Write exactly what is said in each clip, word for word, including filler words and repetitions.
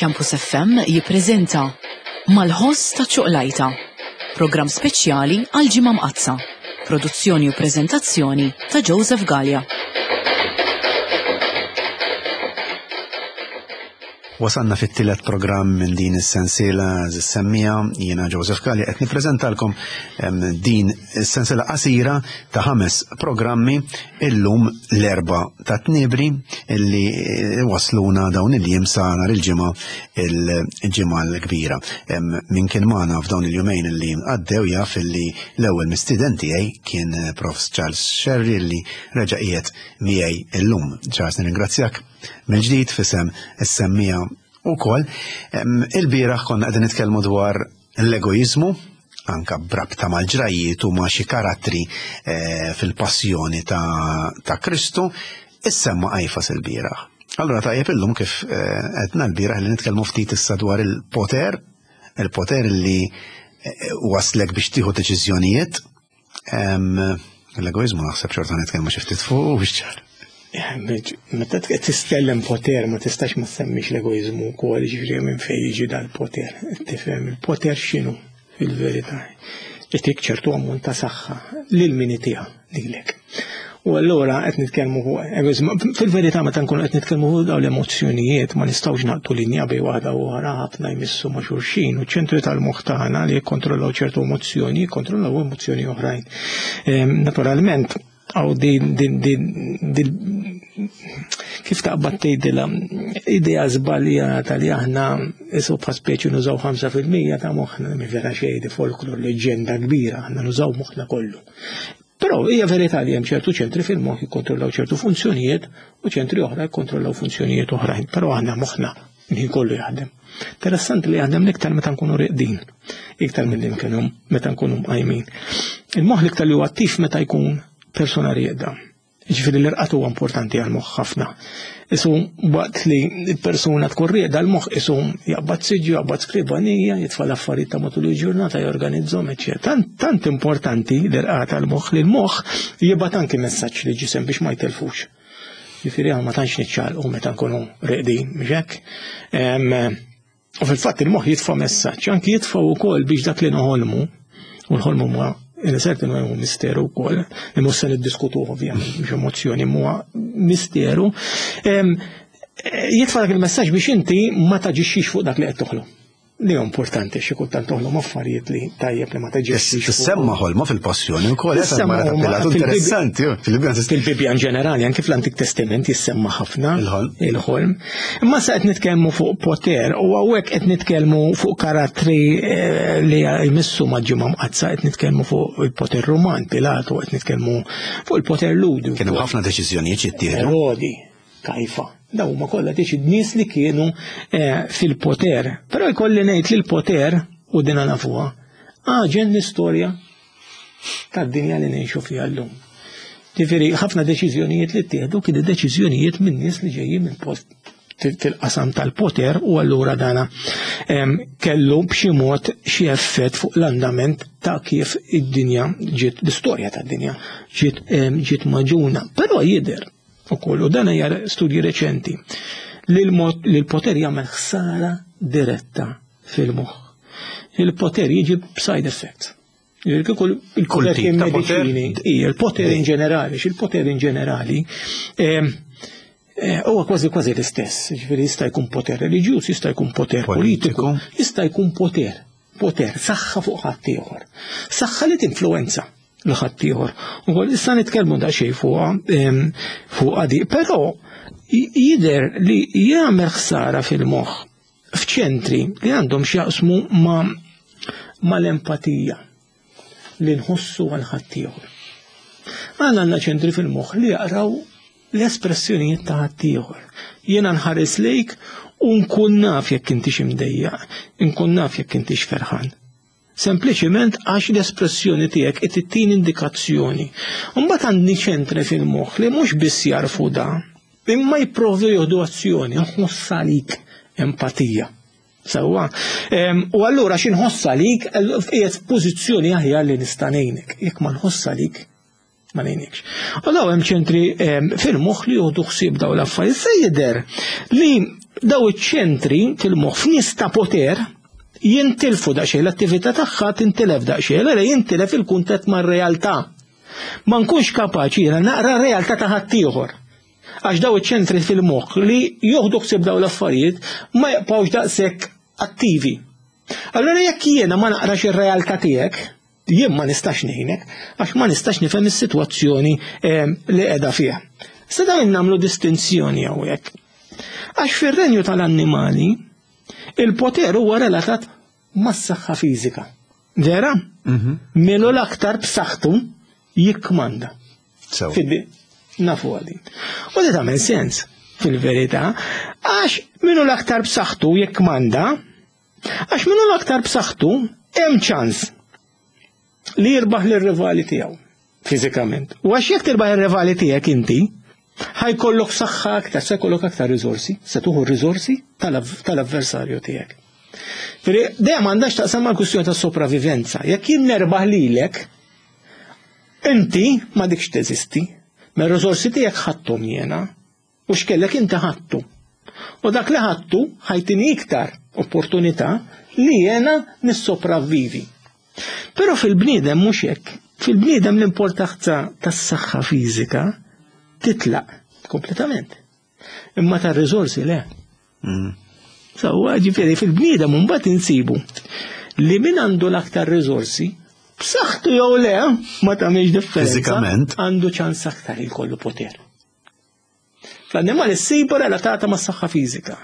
Campus F M jippreżenta Mal-ħoss ta' ċuqlajta, programm speċjali għal Ġimgħa Mqaddsa, produzzjoni u preżentazzjoni ta' Joseph Galea. Wasalna fit-tielet programm minn din is-sensiela semmija, jiena Joseph Galea qed nippreżentalkom din is-sensiela qasira ta' ħames programmi illum l-erba' ta' tniebri illi wasluna dawn il-jiem sa nhar il-ġimgħa il-ġimgħa l-kbira. Min kien magħna f'dawn il-jumejn illi għaddew jaf illi l-ewwel mistieden tiegħi kien Profs Charles Scerri illi reġa' qiegħed miegħi illum. Charles, nirringrazzjak mill-ġdid fisem is-semmija wkoll. Il-bieraħ konna qegħdin nitkellmu dwar l-egoiżmu, anka brabta mal-ġrajiet u ma' xi karattri fil-passjoni ta' Kristu, issemma Qajfas il-bieraħ. Allura tajjeb illum kif għedna l-bieraħ li nitkellmu ftit issa dwar il-poter, il-poter li waslek biex tieħu deċiżjonijiet. L-egoiżmu naħseb xorta nitkellmu xi ftit fuq u biex ċar. Meta titkellem poter ma tistax ma semmix l-egoiżmu wkoll, jiġifieri minn fejn jiġi dal-poter. Tifhem il-poter x'inhu fil-verità. Itik ċertu ammont ta' saħħa lil min itiha lilek. U allura qed nitkellmu fuq egoiżmu. Fil-verità meta nkunu qed nitkellmu fuq dawn l-emozzjonijiet ma nistgħux naqtu linja bejn waħda u oħra, ħafna jmissu ma' xulxin u ċ-ċentri tal-moħħ tagħna li jikkontrollaw ċertu emozzjoni jikkontrollaw emozzjoni oħrajn. Naturalment għaw din din din din kif taqbad tgħidilha idea żbaljata li aħna isu bħal speċi nużaw ħamsa fil-mija ta' moħħna, mi vera xejn, di folklor, leġġenda kbira, aħna nużaw moħħna kollu. Però hija verità li hemm ċertu ċentri fil-moħħ jikkontrollaw ċertu funzjonijiet u ċentri oħra jikkontrollaw funzjonijiet oħrajn, però aħna moħħna il-ħin kollu jaħdem. Interessanti li jaħdem l-iktar meta nkunu reqdin, iktar milli nkunu meta nkunu mqajmin. Il-moħħ l-iktar li huwa attiv meta jkun persona rieda. Ġifieri l-irqad huwa importanti għall-moħħ ħafna. Isu waqt li l-persuna tkun rieda l-moħħ isu jaqbad siġġu, jaqbad skrivanija, jitfa' l-affarijiet ta' matul il-ġurnata, jorganizzhom, eċċetera. Tant, tant importanti l-irqad għall-moħħ li l-moħħ jibgħat anki messaġġ li ġisem biex ma jtelfux. Ġifieri aħna ma tantx niċċaqlqu meta nkunu reqdin, mhux hekk? U fil-fatt il-moħħ jitfa' messaġġ, anki jitfa' wkoll biex dak li noħolmu, u nħolmu ma in certain way hu misteru wkoll, li mhux se niddiskutuh ovvjament, mhux emozzjoni, huwa misteru. Jitfa' dak il-messaġġ biex inti ma taġixxix fuq dak li qed toħlom. Li hu importanti, xi kultant toħlom affarijiet li tajjeb li ma taġixxix fuq. Tissemma ħolma fil-passjoni wkoll, eh, Tissemma mara ta' ħolma Pilatu, fil-Bibja. interessanti, jo, fil-Bibja tis- Fil-Bibja in ġenerali, anke fl-Antik Testament jissemma ħafna Il-ħolm. il-ħolm. Imma sa qed nitkellmu fuq poter u hawnhekk qed nitkellmu fuq karattri, eh, li jmissu ma' Ġimgħa Mqaddsa, qed nitkellmu fuq il-poter Ruman, Pilatu, qed nitkellmu fuq il-poter Ludi. Kienu ħafna deċiżjonijiet jittieħdu. Erodi, Kajfa. Dawn huma kollha deċi nies li kienu, eh, fil-poter. Però jkolli ngħid li l-poter, u dina nafuha, għaġen l-istorja tad-dinja li ngħixu fiha llum. Ġifieri ħafna deċiżjonijiet li ttieħdu kienu deċiżjonijiet minn nies li ġejjin minn post fil-qasam tal-poter, u allura dana, em, kellu b'xi mod xi effett fuq l-andament ta' kif id-dinja ġiet, l-istorja tad-dinja ġiet, em, ġiet maġuna. Però jidher ukoll, u dan hija studji reċenti, li l-mod, li l-poter jagħmel ħsara diretta fil-moħħ. Il-poter jiġi b'side effects. Kieku il-poter Kull tip kien ta' poter? mediċini, ija, il-poter in ġenerali, il-poter in ġenerali, em, eh, huwa kważi kważi l-istess, ġifieri jista' jkun poter reliġjuż, jista' jkun poter Politiku. politiku, jista' jkun poter, poter, saħħa fuq ħaddieħor, saħħa li tinfluwenza l ħaddieħor. Ukoll issa nitkellmu daqsxejn fuqha, em, fuqha di, però j-, jidher li jagħmel ħsara fil-moħħ f'ċentri li għandhom x'jaqsmu ma', mal-empatija li nħossu għal ħaddieħor. Għandna għandna ċentri fil-moħħ li jaqraw l-espressjonijiet ta' ħaddieħor. Jiena nħares lejk u nkun naf jekk intix imdejjaq, nkun naf jekk intix ferħan. Sempliċiment għax l-espressjoni tiegħek qed ittini indikazzjoni. Imbagħad għandi ċentri fil-moħħ li mhux biss jarfu da, imma jipprovdu jieħdu azzjoni, nħoss għalik empatija. Sewwa. Em, u allura xi nħoss għalik, qiegħed f'pożizzjoni aħjar li nista' ngħinek. Jekk ma nħoss għalik, ma ngħinikx. U daw hemm ċentri, em, fil-moħħ li jieħdu ħsieb dawn l-affarijiet. Se jidher li Daw iċ-ċentri fil-moħħ f'nies ta' poter jintilfu daqsxejn, l-attività tagħha tintilef daqsxejn, allura jintilef il-kuntatt mar-realtà. Ma nkunx kapaċi jiena naqra r-realtà ta' ħaddieħor. Għax daw iċ-ċentri fil-moħħ li joħdu ħsieb daw l-affarijiet ma jibqgħux daqshekk attivi. Allura jekk jiena ma naqrax ir-realtà tiegħek, jien ma nistax ngħinek, għax ma nistax nifhem is-sitwazzjoni li qiegħda fiha. Se dawn nagħmlu distinzjoni hawnhekk. Għax fir-renju tal-annimali, il-poter huwa relatat mas-saħħa fiżika. Vera? Min hu l-aktar b'saħħtu jikkmanda. Fiddi, nafu għadi. U di tagħmel sens fil-verità, għax min hu l-aktar b'saħħtu jikkmanda, għax min hu l-aktar b'saħħtu hemm ċans li jirbaħ lir-rivali tiegħu fiżikament. U għax jekk tirbaħ ir-rivali tiegħek inti, ħajkollok saħħa aktar, se jkollok aktar riżorsi, se tuħu r-riżorsi tal-avversarju tiegħek. Firi, dejjem għandax taqsam mal-kwistjoni ta' sopravivenza. Jekk jien nerbaħ lilek, inti ma dikx teżisti. Ma r-riżorsi tiegħek ħadthom jiena, u x'kellek inti ħadtu. U dak li ħadtu ħajtini iktar opportunità li jiena nissopravvivi. Però fil-bniedem mhux hekk. Fil-bniedem l-importanza tas-saħħa fiżika titlaq kompletament. Imma tar-riżorsi le. Sewwa, ġifieri fil-bniedem mbagħad insibu li min għandu l-aktar riżorsi, b'saħħtu jew le, ma tagħmilx differenza. Fiżikament. Għandu ċans aktar jkollu poter. Fl-annimali ssiba relatata mas-saħħa fiżika.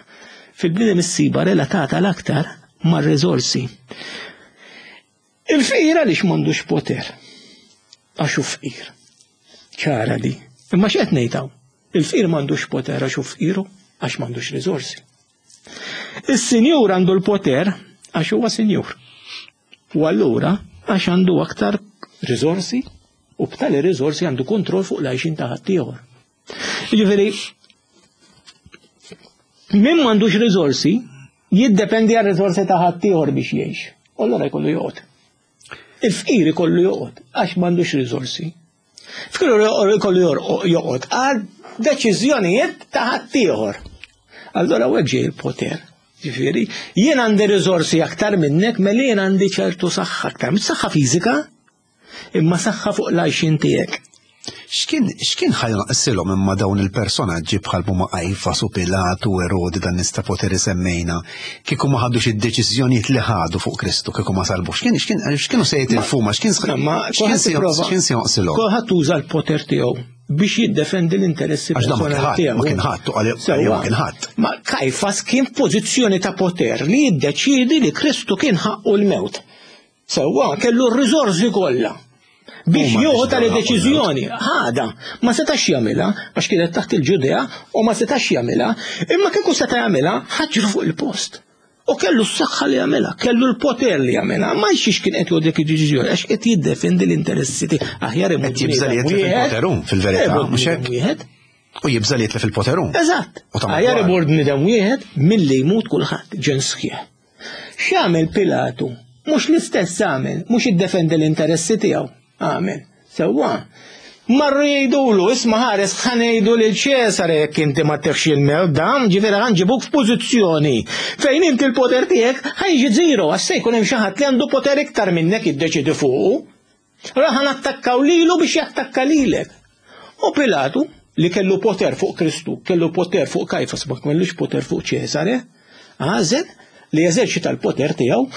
Fil-bniedem issiba relatata l-aktar mar-riżorsi. Il-fqir għaliex m'għandux poter? Għax hu fqir. Ċara di. Imma x'qed ngħid hawn? Il-fqir m'għandux poter għax hu fqiru, għax m'għandux riżorsi. Is-sinjur għandu l-poter għax huwa sinjur. U allura għax għandu aktar riżorsi u b'tali riżorsi għandu kontroll fuq l-għajxin ta' ħaddieħor. Jiġifieri, min m'għandux riżorsi jiddependi għal riżorsi ta' ħaddieħor biex jgħix. U allura jkollu joqgħod. Il-fqir ikollu joqgħod għax m'għandux riżorsi. Fqir ikollu joqgħod għal deċiżjonijiet ta' ħaddieħor. Allura hekk ġej il-poter. Ġifieri, jien għandi riżorsi aktar minnek, mela jien għandi ċertu saħħa aktar, mhux saħħa fiżika, imma saħħa fuq l-għajxin tiegħek. X'kien x'kien ħajnaqsilhom imma dawn il-personaġġi bħal huma Kajfas u Pilatu u Erodi dan nies ta' poteri semmejna, kieku ma ħadux id-deċiżjonijiet li ħadu fuq Kristu, kieku ma salbux, x'kien x'kien x'kienu se jitilfu ma x'kien x'kien x'kien se jonqsilhom? Kulħadd uża l-poter tiegħu biex jiddefendi l-interessi personali tiegħu. Ma kien ħadd, u ma kien ħadd. Ma Kajfas kien f'pożizzjoni ta' poter li jiddeċiedi li Kristu kien ħaqqu l-mewt. Sewwa kellu r-riżorsi kollha biex jieħu tali deċiżjoni. Ħada, ma setax jagħmilha għax kienet taħt il-Ġudea u ma setax jagħmilha, imma kieku seta' jagħmilha ħaġru fuq il-post. U kellu s-saħħa li jagħmilha, kellu l-poter li jagħmilha, ma jxiex kien qed jgħodek id-deċiżjoni għax qed jiddefendi l-interessi tiegħu. Aħjar imut Qed jibża li jitlef il-poteru fil-verità, mhux hekk? Wieħed. U jibża li jitlef il-poteru. Eżatt. Aħjar imur bniedem wieħed milli jmut kulħadd ġens sħiħ. X'għamel Pilatu? Mhux l-istess għamel, mhux iddefendi l-interessi tiegħu. Għamel. Sewwa. Marru jgħidulu, isma' ħares ħa ngħidu lil Ċesare jekk inti ma tefx il-mewt dan, ġifieri ħa nġibuk f'pożizzjoni fejn inti l-poter tiegħek ħa jiġi zero, għax se jkun hemm xi ħadd li għandu poter iktar minnek jiddeċidi fuqu. Allura ħa nattakkaw lilu biex jattakka lilek. U Pilatu, li kellu poter fuq Kristu, kellu poter fuq Kajfas, ma kellux poter fuq Ċesare, għażel li jeżerċita l-poter tiegħu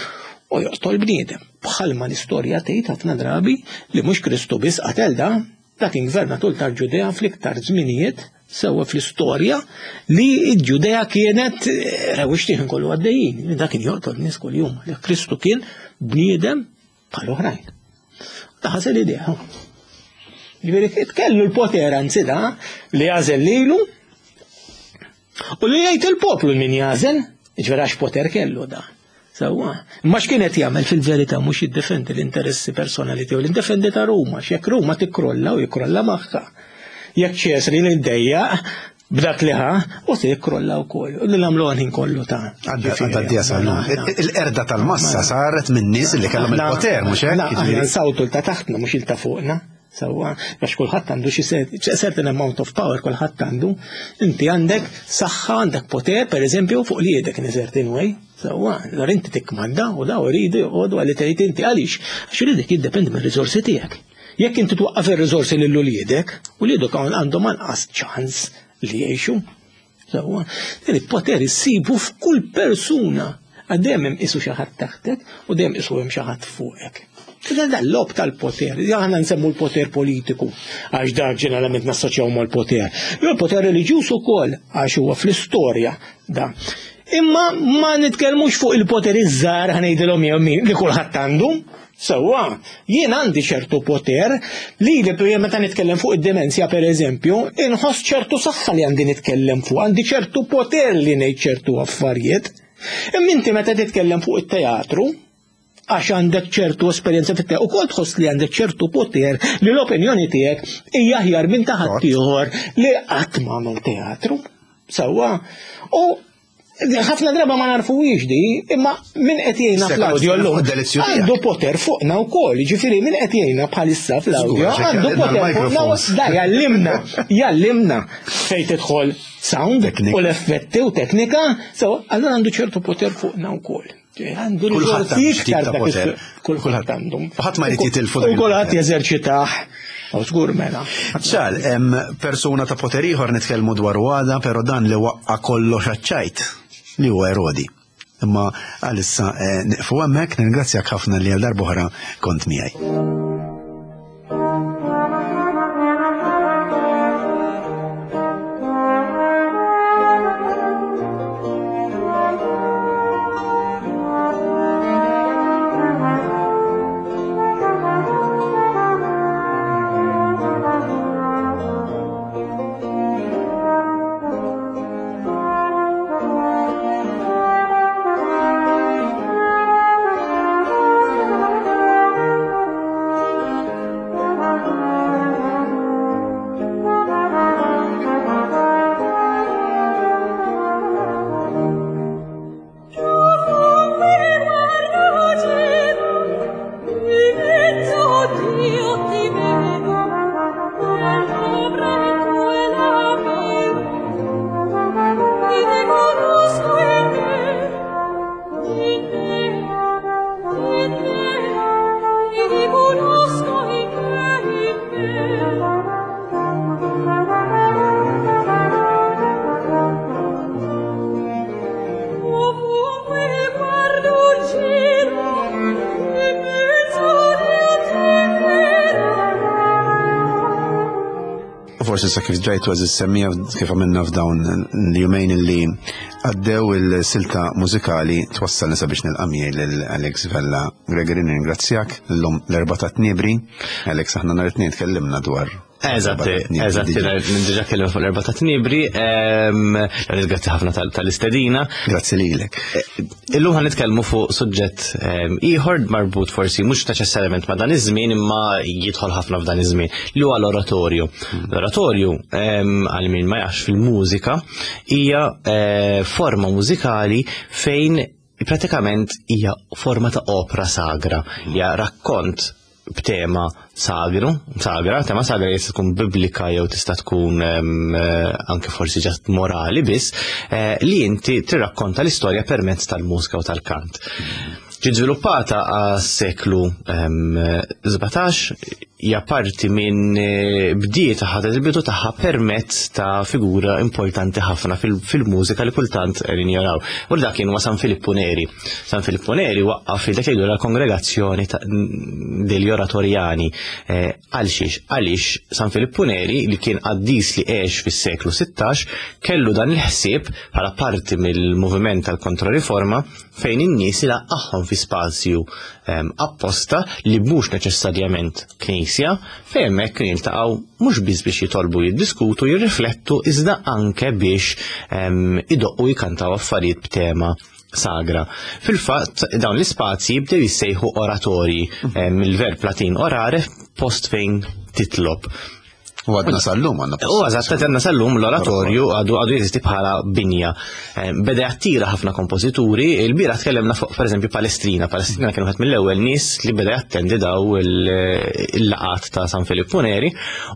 u joqtol bniedem. Bħalma l-istorja tgħid ħafna drabi li mhux Kristu biss qatel da, dak kien gvernatur tal-Ġudea fl-iktar żminijiet sewwa fl-istorja li l-Ġudea kienet rewwixtih kollu għaddejjin, dak kien joqtol nies kuljum. Kristu kien bniedem bħal oħrajn. Da ħasel idea. Ġifieri kellu l-poter anzi da li jażel lilu u li jgħid il-poplu min jażel, ġifieri għax poter kellu da. Sewwa. Imma x'kien qed jagħmel fil-verità mhux jiddefendi l-interessi personali tiegħu, l-indefendi ta' Ruma, x'jekk Ruma tikkrolla u jikkrolla magħha. Jekk Ċesri li ddejjaq b'dak li ħa, u se jikkrolla wkoll. U li nagħmlu ħin kollu ta' Għadda d sal Il-qerda tal-massa saret minn nies li kellhom il-poter, mhux hekk? Aħna nsawtu l ta' taħtna mhux il ta' fuqna. Sewwa, għax kulħadd għandu xi certain amount of power, kulħadd għandu. Inti għandek saħħa, għandek poter, per eżempju, fuq li jedek in a certain way. Sewwa, allura inti tikkmanda u daw iridu joqogħdu għalli tgħid inti għaliex. Għax uliedek jiddependi mir-riżorsi tiegħek. Jekk inti twaqqaf ir-riżorsi lil uliedek, uliedek għandhom anqas ċans li jgħixu. Sewwa, din il-poter issibu f'kull persuna. Għaddejjem hemm isu xi ħadd taħtek u dejjem isu hemm xi ħadd fuqek. Dan l-lob tal-poter, aħna nsemmu l-poter politiku, għax dak ġeneralment nassoċjaw mal-poter. Jew l-poter reliġjuż ukoll, għax huwa fl-istorja da. Imma ma nitkellmux fuq il-poter iż-żgħar ħa ngħidilhom jew min li kulħadd għandu. Sewwa, jien għandi ċertu poter li li meta nitkellem fuq id-demenzja per eżempju, inħoss ċertu saħħa li għandi nitkellem fuq, għandi ċertu poter li ngħid ċertu affarijiet. Imma inti meta titkellem fuq it-teatru, għax għandek ċertu esperjenza fit-teatru, ukoll tħoss li għandek ċertu poter li l-opinjoni tiegħek hija aħjar minn ta' ħaddieħor li qatt m'għamel teatru. Sewwa, u ħafna drabi ma narfuhiex di, imma min qed jgħinna fl-audio llum għandu poter fuqna wkoll, jiġifieri min qed jgħinna bħalissa fl-audio għandu poter fuqna, da jallimna, jallimna fejn tidħol sound u l-effetti u teknika, so allura għandu ċertu poter fuqna wkoll. Għandu Kulħadd riżorsi għandu xi tip iktar ta' dak poter. is- Kulħadd għandu. Ħadd ma jrid jitilfu dak U kulħadd il-poter. jeżerċitah. U żgur mela. Ċal, hemm persuna ta' poter ieħor nitkellmu dwar għada, però dan li waqqa kollox għaċ-ċajt li huwa Erodi. Imma għalissa eh, nieqfu hemmhekk, nirringrazzjak ħafna li għal darb'oħra kont miegħi. Forsi sa kif ġajtu għaziz semmija kif għamilna f'dawn l-jumejn li għaddew il-silta mużikali twassalna sabiex nilqa' miegħi lil Alex Vella Gregory, nirringrazzjak l-lum l-Erbgħa ta' Tniebri. Alex, aħna nhar it-Tnejn tkellimna dwar Eżatt, l-Erbgħa ta' Tniebri eżatt, diġà. diġà kellimna fuq l-Erbgħa ta' Tniebri, ehm, grazzi ħafna tal- tal-istedina. Grazzi lilek. Illum ħa nitkellmu fuq suġġett ehm, ieħor marbut forsi mhux neċessarjament ma' dan iż-żmien imma jidħol ħafna f'dan iż-żmien li huwa l-oratorju. L-oratorju ehm, għal min ma jafx fil-mużika hija eh, forma mużikali fejn pratikament hija forma ta' opra sagra, hija rakkont b'tema sagru, sagra, tema sagra jista' tkun biblika jew tista' tkun em, eh, anke forsi ġast morali biss, eh, li inti tirrakkonta l-istorja permezz tal-mużika u tal-kant. Ġiet żviluppata għas-seklu sbatax, hija parti minn eh, bdiet ħadet il-bidu tagħha permezz ta' figura importanti ħafna fil- fil-mużika li kultant qegħdin jaraw. U dak kien huwa San Filippo Neri. San Filippo Neri waqqaf dak jgħidu la kongregazzjoni ta' degli oratorjani. Eh, Għal xiex? Għaliex San Filippo Neri li kien qaddis li għex fis-seklu sittax kellu dan il-ħsieb bħala parti mill-moviment tal-Kontrariforma fejn in-nies ilaqqagħhom fi spazju, ehm, apposta li mhux neċessarjament knisja, fejn hemmhekk kien jiltaqgħu mhux biss biex jitolbu, jiddiskutu, jirriflettu, iżda anke biex, ehm, idoqqu jkantaw affarijiet b'tema sagra. Fil-fatt dawn l-ispazji bdew jissejħu oratorji, ehm, mill-verb Latin orare, post fejn titlob. U għadna sal-lum għandna. U eżatt għadna sal-lum l-oratorju għadu għadu jeżisti bħala binja. Eh, beda jattira ħafna kompożituri, il-bieraħ tkellimna fuq pereżempju Palestrina. Palestrina kien wieħed mill-ewwel nies li beda jattendi daw il-laqat ta' San Filippo Neri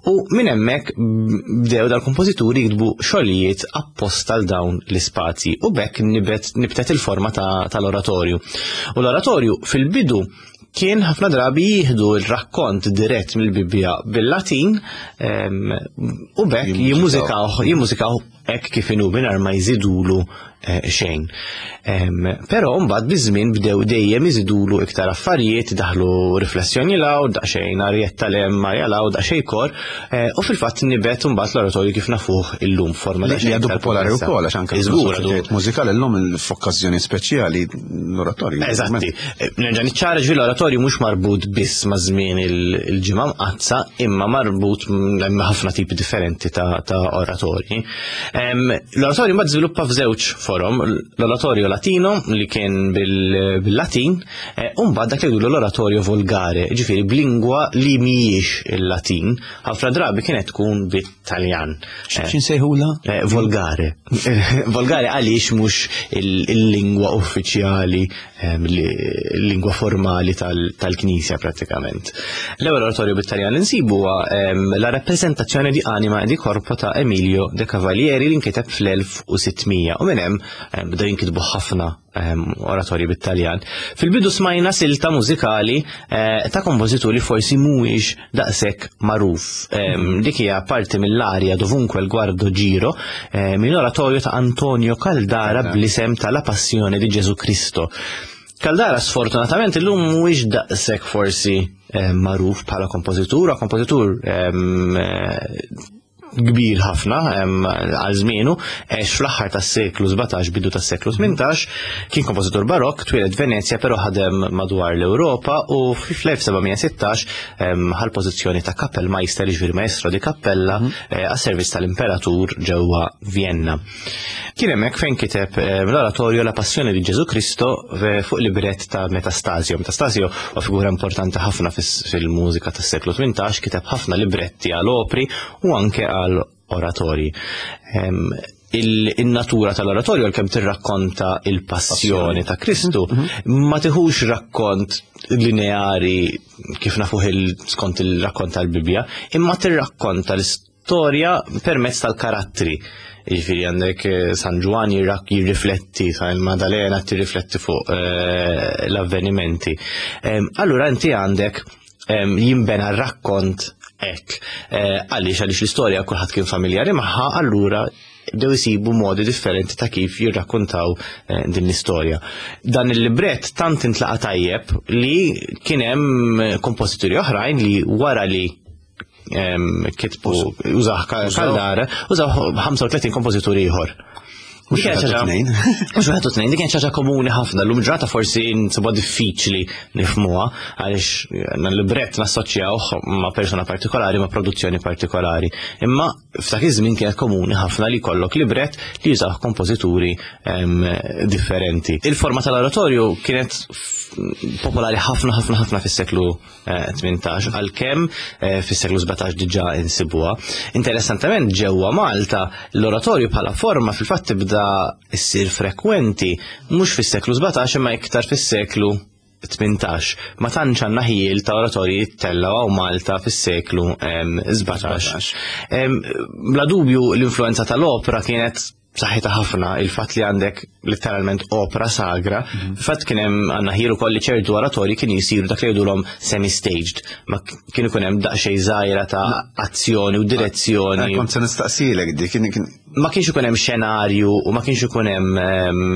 u minn hemmhekk bdew dal-kompożituri jiktbu xogħlijiet apposta għal dawn l-ispazji u b'hekk nibet nibtet il-forma tal-oratorju. U l-oratorju fil-bidu kien ħafna drabi jieħdu il-rakkont dirett mill-Bibbja bil-Latin u b'hekk jimmużikaw jimmużikaw hekk kif inhu mingħajr ma jżidulu xejn. Però mbagħad biż-żmien bdew dejjem iżidulu iktar affarijiet, daħlu riflessjoni law, daqsxejn arjetta l-hemm, arja law, daqsxejn kor, u fil-fatt nibet mbagħad l-oratorju kif nafuh illum forma li għadu popolari wkoll għax anke Żgur għadu mużikali llum f'okkażjoni speċjali l-oratorju. Eżatti. Nerġa' niċċara ġifieri l-oratorju mhux marbut biss ma' żmien il-ġimgħa mqaddsa, imma marbut hemm ħafna tipi differenti ta' oratorji. L-oratorju mbagħad żviluppa f'żewġ forom, l-oratorju latino li kien bil-Latin, u mbagħad dak li jgħidu l-oratorju volgare, ġifieri b'lingwa li mhijiex il-Latin, ħafna drabi kienet tkun bit-Taljan. X'insejħula? Volgare. Volgare għaliex mhux il-lingwa uffiċjali, il-lingwa formali tal-Knisja prattikament. L-ewwel oratorju bit-Taljan li nsibu huwa la rappresentazione di anima e di corpo ta' Emilio de Cavalieri li nkiteb fl-elf u sittmija u minn hemm bdew jinkitbu ħafna oratorji bit-Taljan. Fil-bidu smajna silta mużikali ta' kompożitur li forsi mhuwiex daqshekk magħruf. Dik hija parti mill-arja Dovunque il guardo giro minn oratorju ta' Antonio Caldara bl-isem ta' La Passione di Gesù Cristo. Caldara sfortunatament illum mhuwiex daqshekk forsi magħruf bħala kompożitur, kompożitur kbir ħafna għal żmienu, għex fl-aħħar tas-seklu sbatax, bidu tas-seklu tmintax, kien kompożitur barokk, twieled Venezja, però ħadem madwar l-Ewropa u fl-elf sebgħamija sittax ħal pożizzjoni ta' Kapellmeister, jiġifieri maestro di cappella, għas-servizz tal-Imperatur ġewwa Vienna. Kien hemmhekk fejn kiteb l-oratorju La Passione di Gesù Cristo fuq libret ta' Metastasio. Metastasio huwa figura importanti ħafna fil-mużika tas-seklu tmintax, kiteb ħafna libretti għal opri u anke għal oratorji. Il-natura tal-oratorju għalkemm tirrakkonta il-passjoni ta' Kristu, ma tiħux rakkont lineari kif nafuh skont il-rakkont tal-Bibbja, imma tirrakkonta l-istorja permezz tal-karattri. Jiġifieri għandek San Ġwann jirrifletti, San Maddalena tirrifletti fuq l-avvenimenti. Allura inti għandek jimbena r-rakkont hekk. Għaliex għaliex l-istorja kulħadd kien familjari magħha, allura bdew isibu modi differenti ta' kif jirrakkontaw din l-istorja. Dan il-libret tant intlaqa tajjeb li kien hemm kompożituri oħrajn li wara li kitbu użaw Caldara, użaw ħamsa u tletin kompożitur ieħor. Mhux wieħed u tnejn. Mhux wieħed u tnejn, dik kienet xi ħaġa komuni ħafna, llum ġrata forsi nsibha diffiċli nifhmuha għaliex l-libret nassoċjawh ma' persuna partikolari, ma' produzzjoni partikolari. Imma f'dak iż-żmien kienet komuni ħafna li jkollok libret li jużaw kompożituri differenti. Il-forma tal-oratorju kienet popolari ħafna ħafna ħafna fis-seklu tmintax, għalkemm fis-seklu sbatax diġà insibuha. Interessantement ġewwa Malta l-oratorju bħala forma fil-fatt tibda issir frekwenti mhux fis-seklu sbatax imma iktar fis-seklu tmintax. Ma tantx għandna ħiel ta' oratorji jittellgħu hawn Malta fis-seklu sbatax. Bla dubju l-influenza tal-opra kienet b'saħħitha ħafna, il-fatt li għandek letteralment opra sagra, il-fatt kien hemm għandna ħiel ukoll li ċertu oratorji kienu jsiru dak li jgħidulhom semi-staged, ma kien ikun hemm daqsxejn żgħira ta' azzjoni u direzzjoni. Kont se nistaqsilek dik, kien kien Ma kienx ikun hemm xenarju u ma kienx ikun hemm,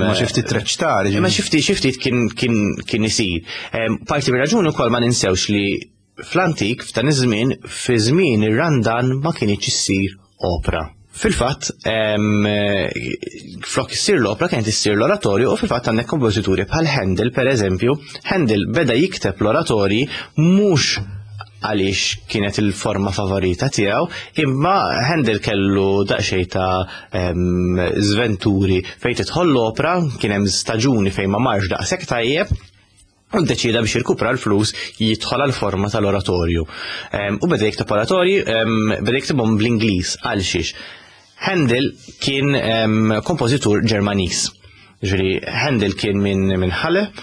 Ma xi ftit reċtari, Ma xi ftit, xi ftit kien, kien, kien isir. Parti mir-raġuni wkoll ma ninsewx li fl-antik, f'dan iż-żmien, fi żmien ir-Randan ma kienx issir opra. Fil-fatt, flok issir l-opra kienet issir l-oratorju u fil-fatt għandek kompożituri bħal Handel, per eżempju, Handel beda jikteb l-oratorji mhux għaliex kienet il-forma favorita tiegħu, imma Handel kellu daqsxejn ta' żventuri fejn tidħol l-opra, kien hemm staġuni fejn ma marx daqshekk tajjeb, U ddeċida biex jirkupra l-flus jidħol għal forma tal-oratorju. U beda jikteb oratorji, beda jiktibhom bl-Ingliż. Għal xiex? Handel kien kompożitur Ġermaniż. Ġifieri Handel kien minn min Halle,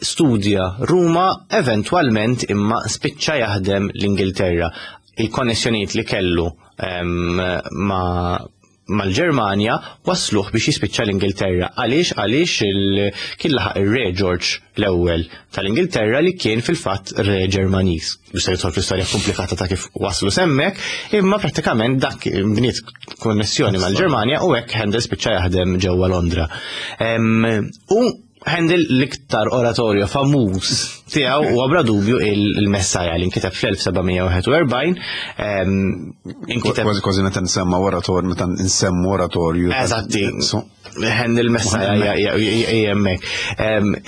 studja Ruma, eventwalment imma spiċċa jaħdem l-Ingilterra. Il-konnessjonijiet li kellu ma' mal-Ġermanja wasluh biex jispiċċa l-Ingilterra. Għaliex? Għaliex kien laħaq ir-Re George l-ewwel tal-Ingilterra li kien fil-fatt Re Ġermaniż. Biex jidħol fl-istorja komplikata ta' kif waslu semmek, imma prattikament dak bniet konnessjoni mal-Ġermanja u hekk Handel spiċċa jaħdem ġewwa Londra. U Handel l-iktar oratorju famuż tiegħu huwa bla dubju il-Messaja li nkiteb fl-elf seba' mija u wieħed u erbgħin. Inkiteb Kważi kważi meta nsemma oratorju, meta nsemmu oratorju. Eżatti. Handel Messaja hemmhekk.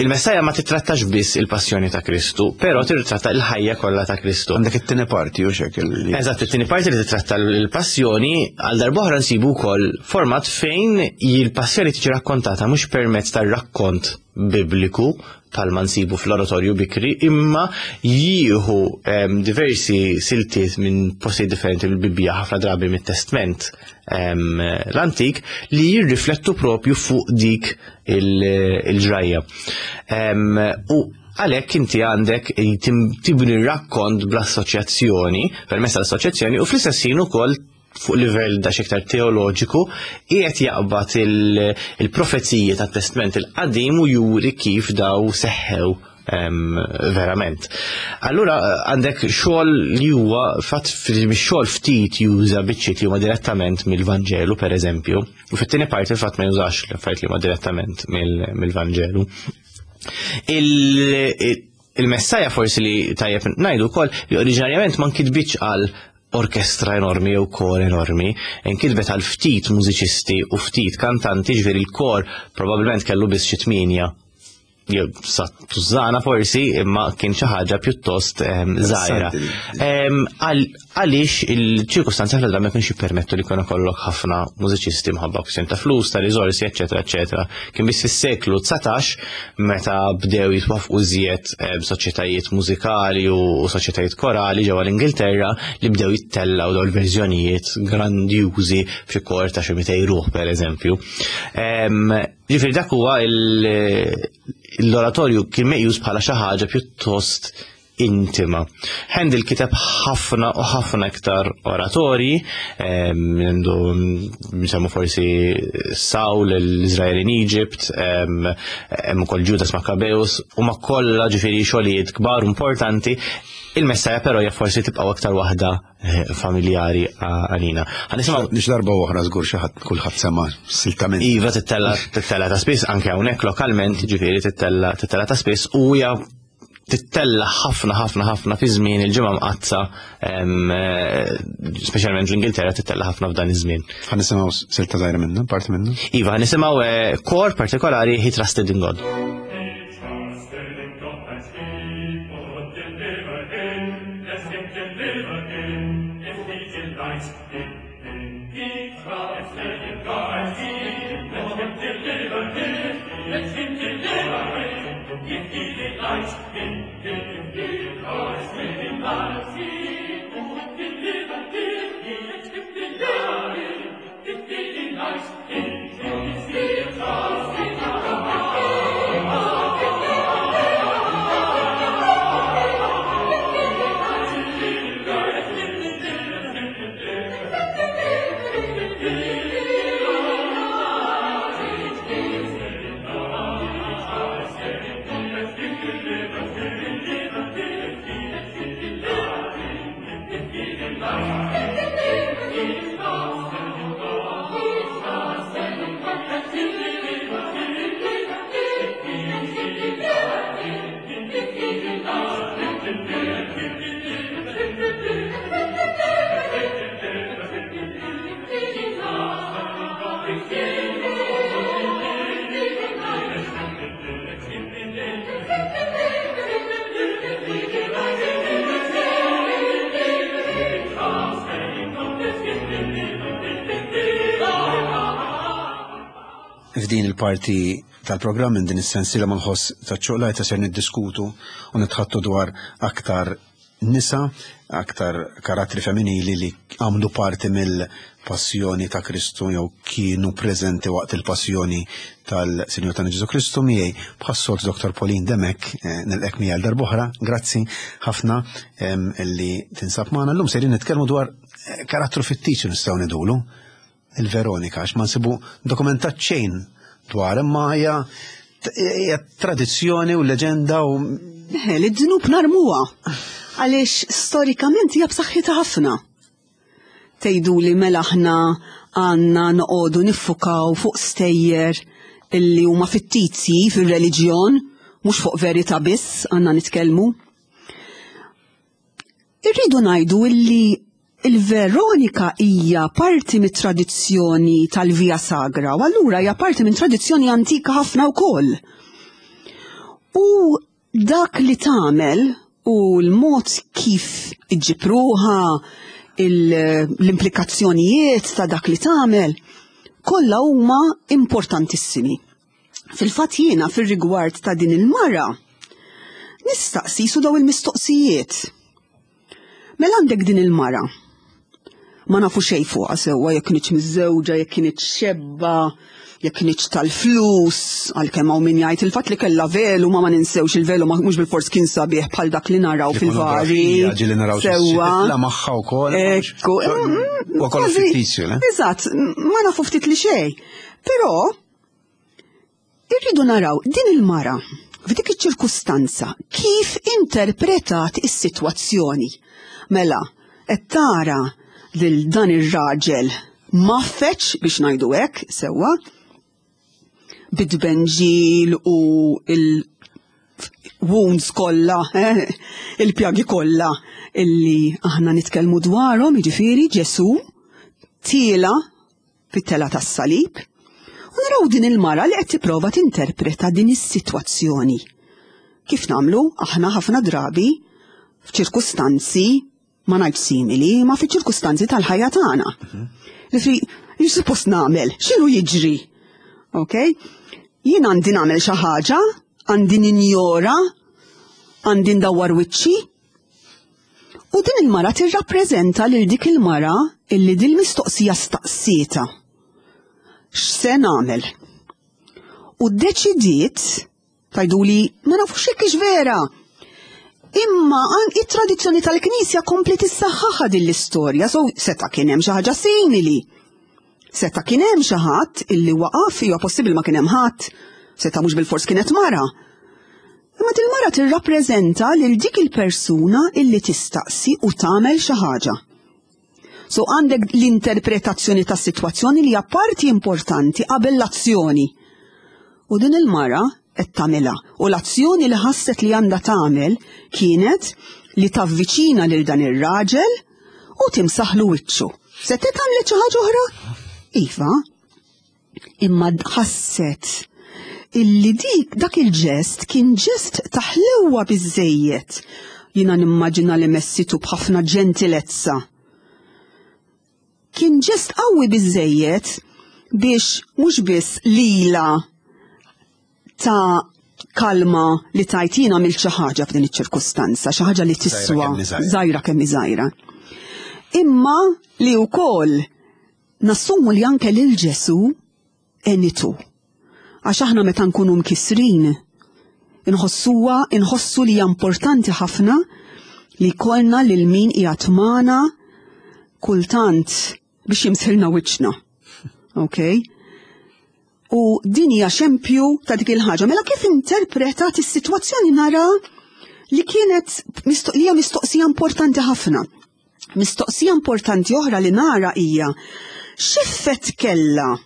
Il-Messaja ma titrattax biss il-passjoni ta' Kristu, però tirtratta l-ħajja kollha ta' Kristu. Għandek it-tieni parti u xek. Eżatt, it-tieni parti li titratta l-passjoni. Għal darb'oħra nsibu wkoll format fejn il-passjoni tiġi rakkontata mhux permezz tar-rakkont bibliku bħalma nsibu fl-oratorju bikri, imma jieħu diversi siltiet minn postijiet differenti mill-Bibbja, ħafna drabi mit-Testament l-Antik, li jirriflettu propju fuq dik il-ġrajja. U għalhekk inti għandek tibni rakkont bl-assoċjazzjoni, permezz tal-assoċjazzjoni, u fl-istess ħin ukoll fuq livell da iktar teoloġiku qiegħed jaqbad il-profeziji tat-Testament il-Qadim u juri kif daw seħħew verament. Allura għandek xogħol li huwa fatt xogħol ftit juża biċċiet li huma direttament mill-Vanġelu, pereżempju, u fit-tieni parti fatt ma jużax l-affarijiet li huma direttament mill-Vanġelu. Il-Messaja forsi li tajjeb ngħidu wkoll li oriġinarjament ma nkitbitx għal orkestra enormi jew kor enormi, inkitbet għal ftit mużiċisti u ftit kantanti, ġifieri l-kor probabbilment kellu biss xi tmienja jew sa tużana forsi, imma kien xi ħaġa pjuttost żgħira. Għaliex il-ċirkustanzi ħafna drabi ma kienx jippermettu li jkun ikollok ħafna mużiċisti mħabba kwistjoni ta' flus, ta' riżorsi, eċetera, eċetera. Kien biss fis-seklu dsatax meta bdew jitwafqu iżjed soċjetajiet mużikali u soċjetajiet korali ġewwa l-Ingilterra li bdew jittellaw dawn il-verżjonijiet grandjużi f'xi kor ta' xi mitej ruħ, pereżempju. Ġifieri dak huwa l-oratorju kien meqjus bħala xi ħaġa pjuttost intima. Handel kiteb ħafna u ħafna iktar oratorji, għandu nsemmu forsi Saul, l-Israel in Egypt, hemm ukoll Judas Maccabeus, u ma kollha ġifieri xogħlijiet kbar importanti. Il-Messaja però hija forsi tibqa' aktar waħda familjari għalina. Ħa nisimgħu Nix darba oħra żgur xi ħadd kulħadd sema siltament. Iva, tittella tittella ta' spiss anke hawnhekk lokalment, ġifieri tittella tittella ta' spiss u hija tittella ħafna ħafna ħafna fi żmien il-Ġimgħa Mqaddsa, speċjalment l-Ingilterra tittella ħafna f'dan iż-żmien. Ħa nisimgħu silta żgħira minna, parti minna. Iva, ħa nisimgħu kor partikolari, He Trusted in God. He trusted in God that he would deliver him. Let him deliver him if he delights in him. He trusted in God and he let him deliver him. Let him deliver him if he delights in him. He trusted in God and he would deliver him. Let him deliver him if he delights in him. He trusted in God and he would deliver him. F'din il-parti tal-programm minn din is-sensiela mal-ħoss taċ-ċoqlajta ser niddiskutu u nitħattu dwar aktar nisa, aktar karattri femminili li għamlu parti mill-passjoni ta' Kristu jew kienu preżenti waqt il-passjoni tal-Sinjur tagħna Ġesu Kristu. Miegħi bħas-soltu Doktor Pauline Demek, eh, nilqek miegħi darb'oħra, grazzi ħafna li tinsab magħna. Llum sejrin nitkellmu dwar eh, karattru fittizju nistgħu ngħidulu, il-Veronika, għax ma nsibu dokumentat xejn dwar, imma hija hija tradizzjoni u leġenda u Li d-dnub narmuha għaliex storikament hija b'saħħitha ħafna. Tgħidu li mela aħna għandna noqogħdu niffukaw fuq stejjer illi huma fittizji fir-reliġjon, mhux fuq verità biss għandna nitkellmu. Irridu ngħidu illi il-Veronika hija parti mit-tradizzjoni tal-Via Sagra u allura hija parti minn tradizzjoni antika ħafna wkoll. U dak li tagħmel u l-mod kif iġġib ruħha, l-implikazzjonijiet ta' dak li tagħmel, kollha huma importantissimi. Fil-fatt jiena fir-rigward ta' din il-mara nistaqsi su daw il-mistoqsijiet. Mela għandek din il-mara. Ma nafu xejn fuqha sewwa, jekk kienx miżżewġa, jekk kienx xebba, jekk kienx tal-flus, għalkemm hawn min jgħid il-fatt li kellha velu, ma ma ninsewx il-velu ma mhux bil-fors kien sabiħ bħal dak li naraw fil-vari. Ġieli naraw Sewwa. La magħha wkoll. Ekku. U kollu Kważi- fittizju, le? Eżatt, ma nafu ftit li xejn. Però irridu naraw din il-mara f'dik iċ-ċirkustanza kif interpretat is-sitwazzjoni. Mela, qed tara lil dan ir-raġel maffeċ biex ngħidu hekk sewwa, bit-tbenġil u il-wounds kollha, eh, il-pjagi kollha illi aħna nitkellmu dwarhom, jiġifieri Ġesu tiela fit-tela tas-salib. U naraw din il-mara li qed tipprova tinterpreta din is-sitwazzjoni. Kif nagħmlu aħna ħafna drabi f'ċirkustanzi ma ngħidx simili, ma fi ċirkustanzi tal-ħajja tagħna. Li fi suppost nagħmel, x'inhu jiġri? Ok? Jien għandi nagħmel xi ħaġa, għandi ninjora, għandi ndawwar wiċċi. U din il-mara tirrappreżenta lil dik il-mara illi dil mistoqsija staqsieta. X'se nagħmel? U ddeċidiet, tgħiduli ma nafux jekk hix vera. Imma an it-tradizzjoni tal-Knisja kompli tissaħħaħa din l-istorja, so seta' kien hemm xi ħaġa simili. Seta' kien hemm xi ħadd illi waqaf, huwa possibbli ma kien hemm ħadd, seta' mhux bil-fors kienet mara. Imma din mara tirrappreżenta lil dik il-persuna illi tistaqsi u tagħmel xi ħaġa. So għandek l-interpretazzjoni tas sitwazzjoni li hija parti importanti qabel l-azzjoni. U din il-mara qed tagħmilha. U l-azzjoni li ħasset li għandha tagħmel kienet li tavviċina lil dan ir-raġel u timsaħlu wiċċu. Se tagħmel xi ħaġa oħra? Iva. Imma ħasset illi dik dak il-ġest kien ġest ta' ħlewwa biżejjed. Jiena nimmaġina li messitu b'ħafna ġentilezza. Kien ġest qawwi biżejjed biex mhux biss lila ta' kalma li tajtina mill xi ħaġa f'din iċ-ċirkustanza, xi ħaġa li tiswa kemm hi żgħira. żgħira kemm hi żgħira. Imma li wkoll nassumu li anke lil Ġesu għenitu. Għax aħna meta nkunu mkisrin, inħossuha, inħossu li hija importanti ħafna li jkollna lil min qiegħed magħna kultant biex jimsħilna wiċċna. Ok? U din hija xempju ta' dik il-ħaġa. Mela kif interpretat is-sitwazzjoni nara li kienet misto- li hija mistoqsija importanti ħafna. Mistoqsija importanti oħra li nara hija x'effett kellha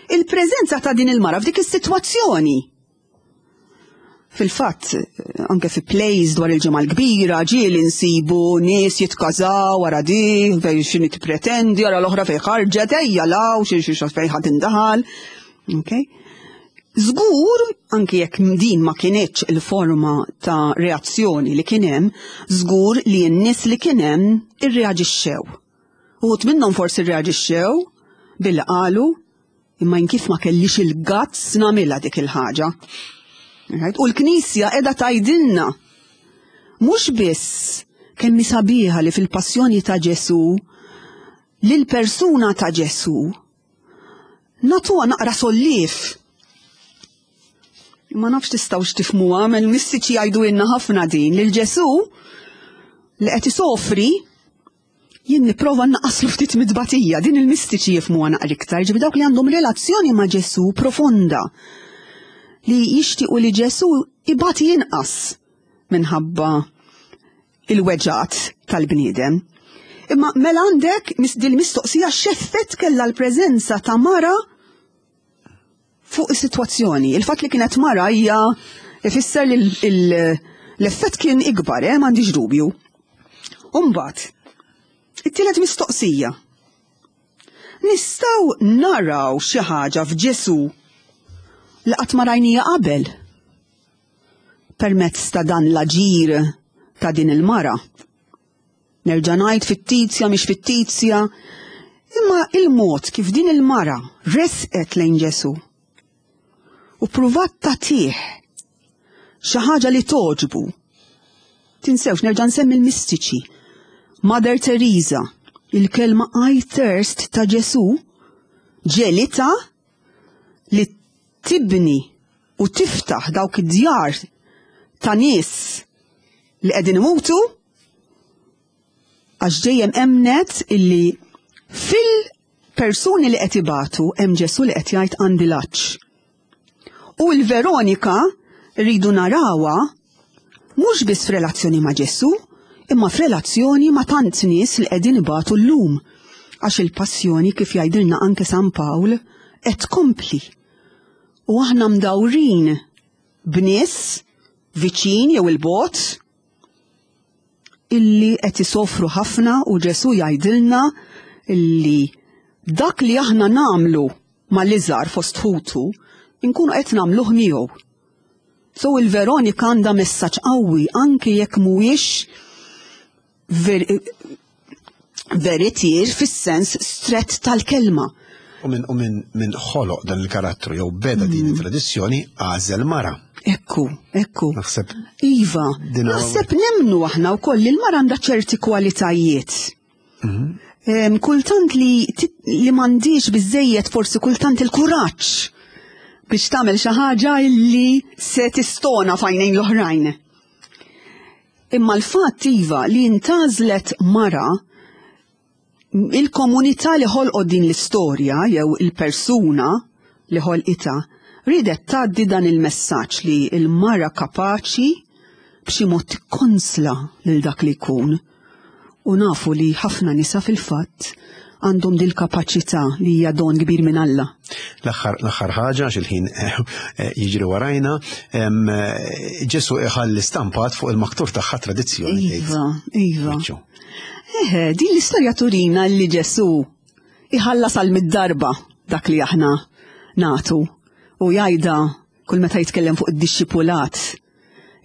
il-preżenza ta' din il-mara f'dik is-sitwazzjoni. Fil-fatt, anke fi plays dwar il-Ġimgħa l-Kbira, ġieli nsibu nies jitkażaw wara di, fej x'inhi tippretendi, wara l-oħra fej ħarġet, ejja law, xi xi fej ħadd indaħal. Okay? Żgur, anke jekk din ma kienx il-forma ta' reazzjoni li kien hemm, żgur li n-nies li kien hemm irreaġixxew. Uħud minnhom forsi rreaġixxew billi qalu Imma jien kif ma kellix il-guts nagħmilha dik il-ħaġa. Right? U l-Knisja qiegħda tgħidilna mhux biss kemm sabiħa li fil-passjoni ta' Ġesù lil persuna ta' Ġesù nagħtuha naqra solliev. Ma nafx tistgħux tifhmuha, il-mistiċi jgħidu ħafna din lil Ġesù li qed isofri jien nipprova naqaslu ftit mid-tbatija, din il-mistiċi jifhmuha naqra iktar, ġifieri dawk li għandhom relazzjoni ma' Ġesù profonda li jixtiequ li Ġesù ibati inqas minħabba il-weġgħat tal-bniedem. Imma mela għandek dil mistoqsija x'effett kellha l-preżenza ta' mara fuq is-sitwazzjoni. Il-fatt li kienet mara hija ifisser li l-effett kien ikbar, eh, m'għandix dubju. Umbagħad, it-tielet mistoqsija. Nistgħu naraw xi ħaġa f'Ġesù li qatt ma rajnija qabel permezz ta' dan l-aġir ta' din il-mara. Nerġa' ngħid fittizja mhix fittizja, imma il-mod kif din il-mara resqet lejn Ġesù u pruvat tagħtih xi ħaġa li toġbu. Tinsewx nerġa' nsemmi l-mistiċi. Mother Teresa, il-kelma I thirst ta' Ġesù ġegħlitha li tibni u tiftaħ dawk id-djar ta' nies li qegħdin imutu għax dejjem emnet illi fil-persuni li qed ibatu hemm Ġesù li qed jgħid għandi l-għatx. U l-Veronika rridu narawha mhux biss f'relazzjoni ma' Ġesù, imma f'relazzjoni ma' tant nies li qegħdin ibatu llum. Għax il-passjoni kif jgħidilna anke San Pawl qed tkompli. U aħna mdawrin b'nies viċin jew il-bogħod illi qed isofru ħafna u Ġesù jgħidilna illi dak li aħna nagħmlu mal-iżgħar fost ħutu inkunu qed nagħmluh miegħu. So il-Veronika għandha messaġġ qawwi anke jekk mhuwiex ver veritier fis-sens strett tal-kelma. U minn u min, min ħoloq dan il-karattru jew beda din it-tradizzjoni għażel mara. Ekku, ekku. Naħseb Iva, Din naħseb nemnu aħna wkoll li l-mara għandha ċerti kwalitajiet. Em, Kultant li, tit- li m'għandix biżejjed forsi kultant il-kuraġġ biex tagħmel xi ħaġa illi se tistona f'għajnejn l-oħrajn. Imma l-fatt iva li intgħażlet mara il-komunità li ħolqot din l-istorja jew il-persuna li ħolqitha ridet tgħaddi dan il-messaġġ li l-mara kapaċi b'xi mod tikkonsla lil dak li jkun. U nafu li ħafna nisa fil-fatt għandhom dil kapaċità li hija don kbir minn Alla. L-aħħar l-aħħar ħaġa għax il-ħin eh, jiġri warajna, em, eh, Ġesù iħalli stampat fuq il-maktur tagħha tradizzjoni tgħid. Iva, iva. Miċċu. Eħe, din l-istorja turina li Ġesù iħallas għal mitt darba dak li aħna nagħtu u jgħidha kull meta jitkellem fuq id-dixxipulat.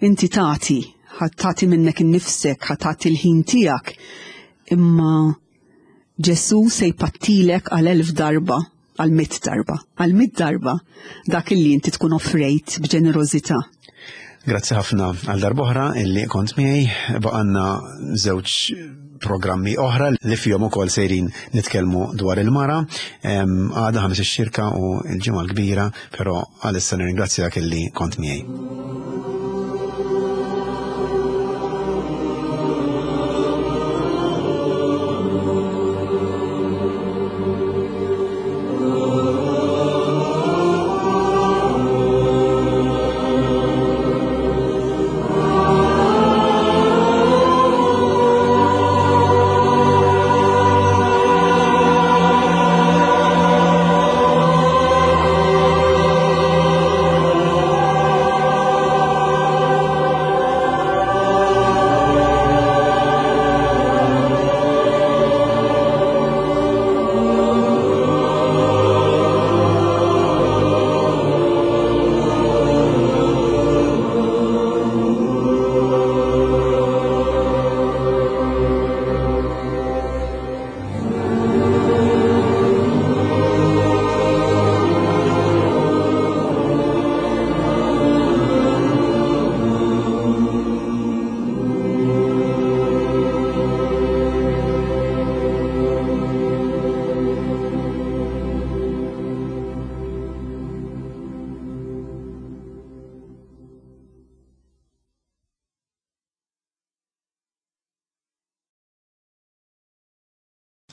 Inti tagħti, ħa tagħti minnek innifsek, ħa tagħti l-ħin tiegħek, imma Ġesù se jpattilek għal elf darba, għal mitt darba, għal mitt darba dak li inti tkun offrejt b'ġenerożità. Grazzi ħafna għal darb'oħra illi kont miegħi baqgħalna żewġ programmi oħra li fihom ukoll sejrin nitkellmu dwar il-mara. Em, Għada Ħamis ix-Xirka u l-ġimgħa l-kbira, però għalissa nirringrazzjak illi kont miegħi.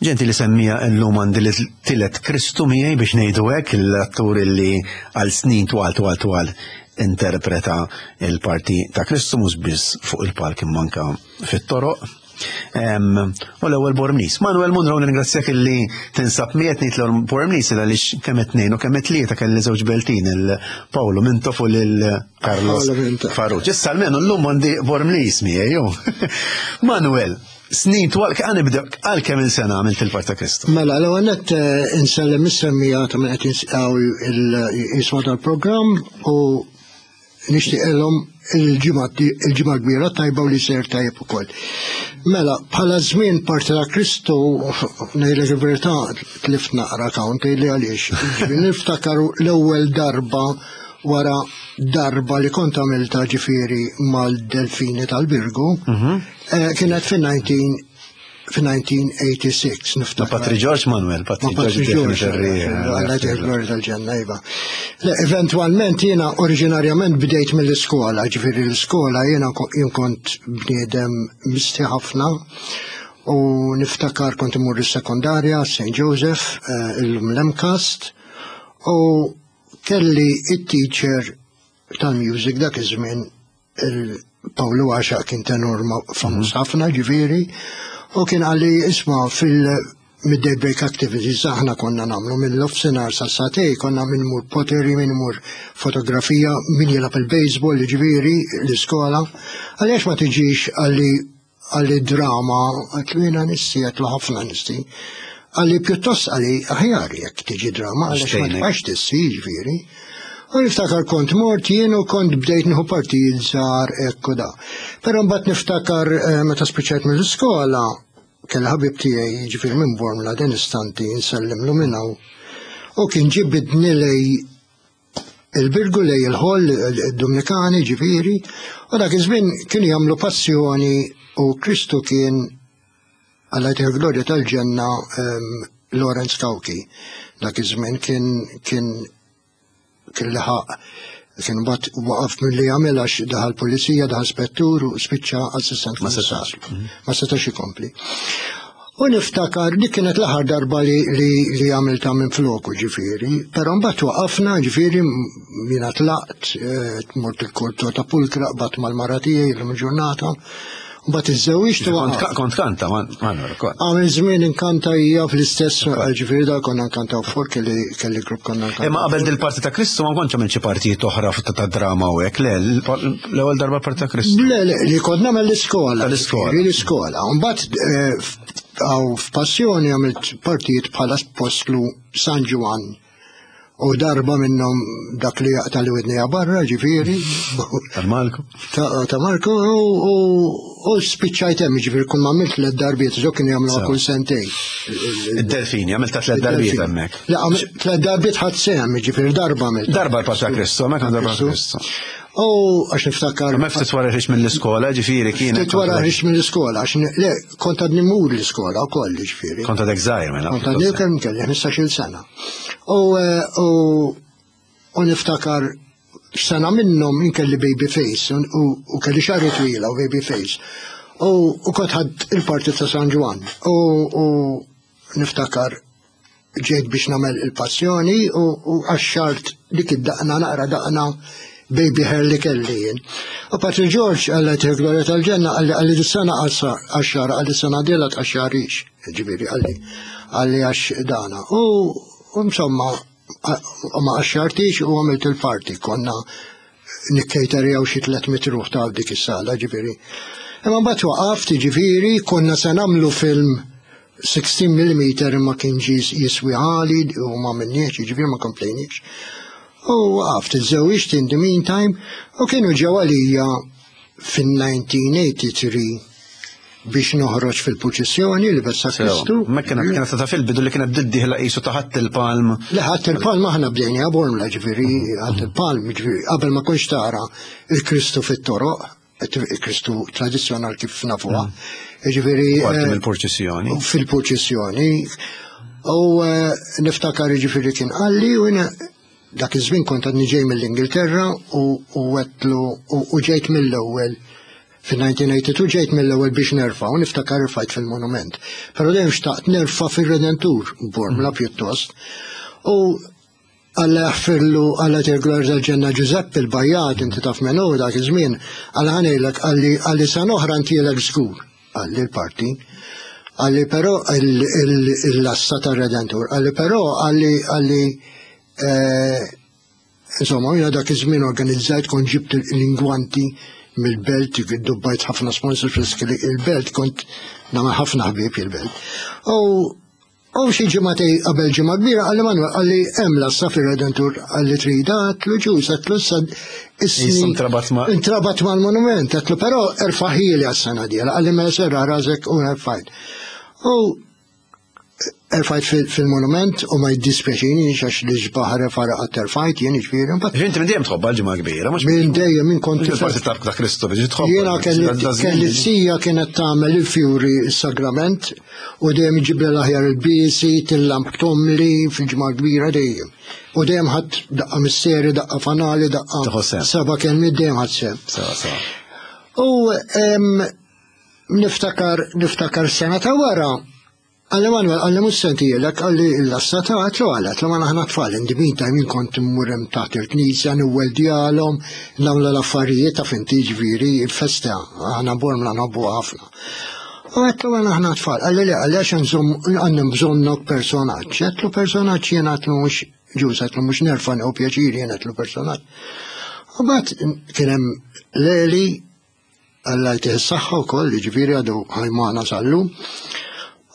Ġenti li semmija llum għandi li tielet Kristu miegħi biex ngħidu hekk, l-attur li għal snin twal twal twal interpreta il-parti ta' Kristu mhux biss fuq il-palk imma anke fit-toroq. U l-ewwel Bormliż. Manuel Munro, nirringrazzjak illi tinsab miegħek. Ngħid l Bormliż għaliex kemm tnejn u kemm tlieta kelli żewġ Beltin, il-Paolo Mintoff u lil Carlos Farrugia. Issa almenu llum għandi Bormliż miegħi. Manuel, snin twal, għan nibda, għal kemm il-sena għamilt il-parta Kristu? Mela, l għanet insellem is-semmija ta' minn qed jisma' tal-programm u nixtieqilhom il-ġimgħa kbira tajba u li ser tajjeb ukoll. Mela, bħala żmien parti ta' Kristu, ngħidlek il-verità, tlift naqra count li għaliex. Niftakaru l-ewwel darba wara darba li kont għamilta ġifieri mal-Delfini tal-Birgu, kienet fin-nineteen fin-nineteen eighty-six niftakar. Patri George, Manuel, Patri George. Alla glorja tal-ġenna, iva. Eventualment jiena oriġinarjament bdejt mill-iskola, ġifieri l-iskola jiena jien kont bniedem misti ħafna u niftakar kont imur is-sekondarja Saint Joseph, illum l-MCAST, u kelli it-teacher tal-music dak iż-żmien, il-Pawlu Għaxa, kien tenur famuż ħafna ġifieri, u kien qalli, "Isma', fil-midday break activities aħna konna nagħmlu mill-nofsinhar sa sagħtejn, konna min imur pottery, min imur fotografija, min jilgħab il-baseball ġifieri l-iskola. Għaliex ma tiġix?" qalli qalli "drama." Għedtlu, "Jiena nisti," għedtlu, "ħafna nisti." Qalli, "Pjuttost," qalli, "aħjar jekk tiġi drama għaliex ma tibqax tisti ġifieri." U niftakar kont mort jien u kont bdejt nieħu partijiet żgħar hekk u da. Però mbagħad niftakar meta spiċċajt mill-iskola, kelli ħabib tiegħi ġifieri minn Bormla, din istanti nsellimlu minn hawn. U kien ġibidni lejn il-Birgu, lejn il-ħoll id-Dominikani ġifieri, u dak iż-żmien kienu jagħmlu passjoni u Kristu kien, Alla jtih glorja tal-ġenna, Lawrence Cauchi. Dak iż-żmien kien kien kien liħaq kien bat waqaf mill-li jagħmel għax daħal pulizija, daħal spettur u spiċċa assistent. Ma setax. Ma setax ikompli. U niftakar li kienet l-aħħar darba li li, li għamilta minn floku ġifieri, però mbagħad waqafna ġifieri, jiena tlaqt, eh, mort il-kultur ta' Pulkra, bat mal-mara tiegħi l ġurnata, mbagħad iżżewwiġt u Kont waqaft. Kont kanta, Manuel, kont. Għamil żmien inkanta hija fl-istess, ġifieri da konna nkantaw for kelli kelli grupp konna nkantaw. Imma qabel dil-parti ta' Kristu ma kontx għamilt xi partijiet oħra ta' drama u hekk, le, l-ewwel darba parti ta' Kristu. Le, le, li kont nagħmel l-iskola. Tal-iskola. Ġifieri l-iskola. Mbagħad eh, għaw f'Passjoni għamilt partijiet bħala apostlu San Ġwann. U darba minnhom dak li jaqta' li widnija barra, ġifieri. Tal-Malku. Ta' ta' Marko u u spiċċajt hemm, ġifieri kull ma għamilt tliet darbiet, ġo kienu jagħmluha Sew. kull sentejn. Id-Delfini, għamilt ta' tliet darbiet hemmhekk. Le, għamilt tliet darbiet ħadd sehem, ġifieri darba għamilt. Darba l-parti ta' Kristu, hemmhekk għandu darba Kristu. U għax niftakar. Ma ftit wara ħriġt mill-iskola, ġifieri kienet. Ftit wara ħriġt mill-iskola, għax ne- le, kont għadni mur l-iskola wkoll ġifieri. Kont għadek żgħir mela. Kont għadni kemm kelli ħmistax-il sena. U eh, u u niftakar sena minnhom inkelli baby face u, u kelli xagħri twila u baby face. U, u kont ħadd il-parti ta' San Ġwann. U, u niftakar ġejt biex nagħmel il-passjoni u, u għaxxart dik id-daqna, naqra daqna baby hair li kelli jien. U Patri George, Alla jtih glorja tal-ġenna, qalli qalli "Dis-sena għaxxar," qalli, "sena dila tqaxxarix," ġifieri qalli qalli għax dana. U, u insomma, u ma qaxxartix u għamilt il-parti, konna nikkejterjaw xi tliet mitt ruħ ta' dik is-sala ġifieri. Imma mbagħad waqaft ġifieri, konna se nagħmlu film sittax mm imma kien ġi jiswi għali u ma minniex, ġifieri ma komplejniex. U waqaft, iżżewwiġt in the meantime u kienu ġew għalija fin-nineteen eighty-three biex noħroġ fil-purċissjoni li bessa Kristu. Ma kienet kienet ta' fil-bidu li kienet diddi ħla qisu ta' ħadd il-palm. Le, ħadd il-palm aħna bdejna Bormla ġifieri, ħadd il-palm ġifieri, qabel ma kontx tara il-Kristu fit-toroq, il-Kristu tradizzjonal kif nafuha. Ġifieri Parti eh, mill-purċissjoni. Fil-purċissjoni. U eh, niftakar ġifieri kien qalli u jiena dak iż-żmien kont għadni ġej mill-Ingilterra u u għedtlu u u ġejt mill-ewwel Fil-elf disa' mija u tnejn u tmenin ġejt mill-ewwel biex nerfa' u niftakar rfajt fil-monument. Però dejjem xtaqt nerfa' fir-Redentur, Bormla pjuttost. U Alla jaħfirlu, Alla jtih glorja tal-ġenna, Giuseppe il-Bajjat, inti taf menu dak iż-żmien, Alla ħa ngħidlek, qalli qalli sena oħra ntihielek żgur, qalli l-parti. Qalli però l-lassa tar-Redentur, qalli però qalli qalli eh, insomma, jiena dak iż-żmien organizzajt, kont ġibt l-ingwanti mill-belt, dubbajt ħafna sponsors il-belt, kont nagħmel ħafna ħbieb il-belt. U U xi ġimagħtejn qabel Ġimgħa Kbira qalli, "Manuel," qalli, "hemm lassa fir-Redentur," qalli, "trida?" Għedtlu, "Ġus," għedtlu, "issa isni intrabat ma' intrabat mal-monument," għedtlu, "però erfagħhieli għas-sena d-dieħla." Qalli, "Mela serraħ rasek," u erfajt. U erfajt fil-monument u ma jiddispjaċini għax l-isbaħ refara għat erfajt jien, ġifieri. Inti minn dejjem tħobb l-Ġimgħa Kbira, mhux Minn dejjem, minn kont il-parti ta' Kristu biex tħobb. Jiena kelli zija kienet tagħmel il-fjuri, il-sagrament, u dejjem iġib l-aħjar il-bisi, til-lamp tomli fil-Ġimgħa Kbira dejjem. U dejjem ħadd daqqa misseri, daqqa fanali, daqqa seba' kelmiet, dejjem ħadd sehem. U niftakar niftakar sena ta' wara, qalli, "Manuel," qalli, "mhux se ntihielek," qalli, "l-lassa ta'." Għedtlu, "Għala?" Għedtlu, "Ma aħna tfal, in the meantime jien kont immur hemm taħt il-knisja, nweldjalhom, nagħmlu l-affarijiet ta' finti, ġifieri, il-festa, aħna Bormla nħobbu ħafna." U għedtlu, "Għala aħna tfal?" Qalli, "Le," qalli, "għax nżomm għandna bżonnok personaġġ." Għedtlu, "Personaġġ jien?" Għedtlu, "Mhux ġus," għedtlu, "mhux nerfa' u pjaċir jien," għedtlu, "personaġġ." U mbagħad kien hemm Leli, Alla jtih s-saħħa wkoll, ġifieri għadu ħaj magħna sal-lum.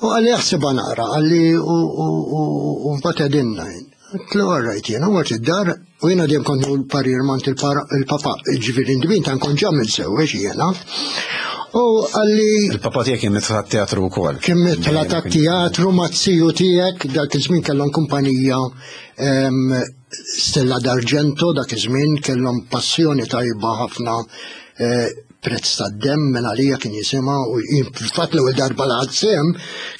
U qalli, "Aħsibha naqra," qalli, "u mbagħad għedinna." Għedtlu, "Għarrajt." Jena mort id-dar u jena dejjem kont l-parir mant il-papa, ġifieri in the meantime kont ġa miżżewweġ jena. U qalli. Il-papa tiegħek kien midħla teatru wkoll. Kien midħla teatru maz-ziju tiegħek, dak iż-żmien kellhom kumpanija Stella d'Argento, dak iż-żmien kellhom passjoni tajba ħafna, eh, Prezz ta' Demm minn għalija kien jisimha, u fatt l-ewwel darba li sehem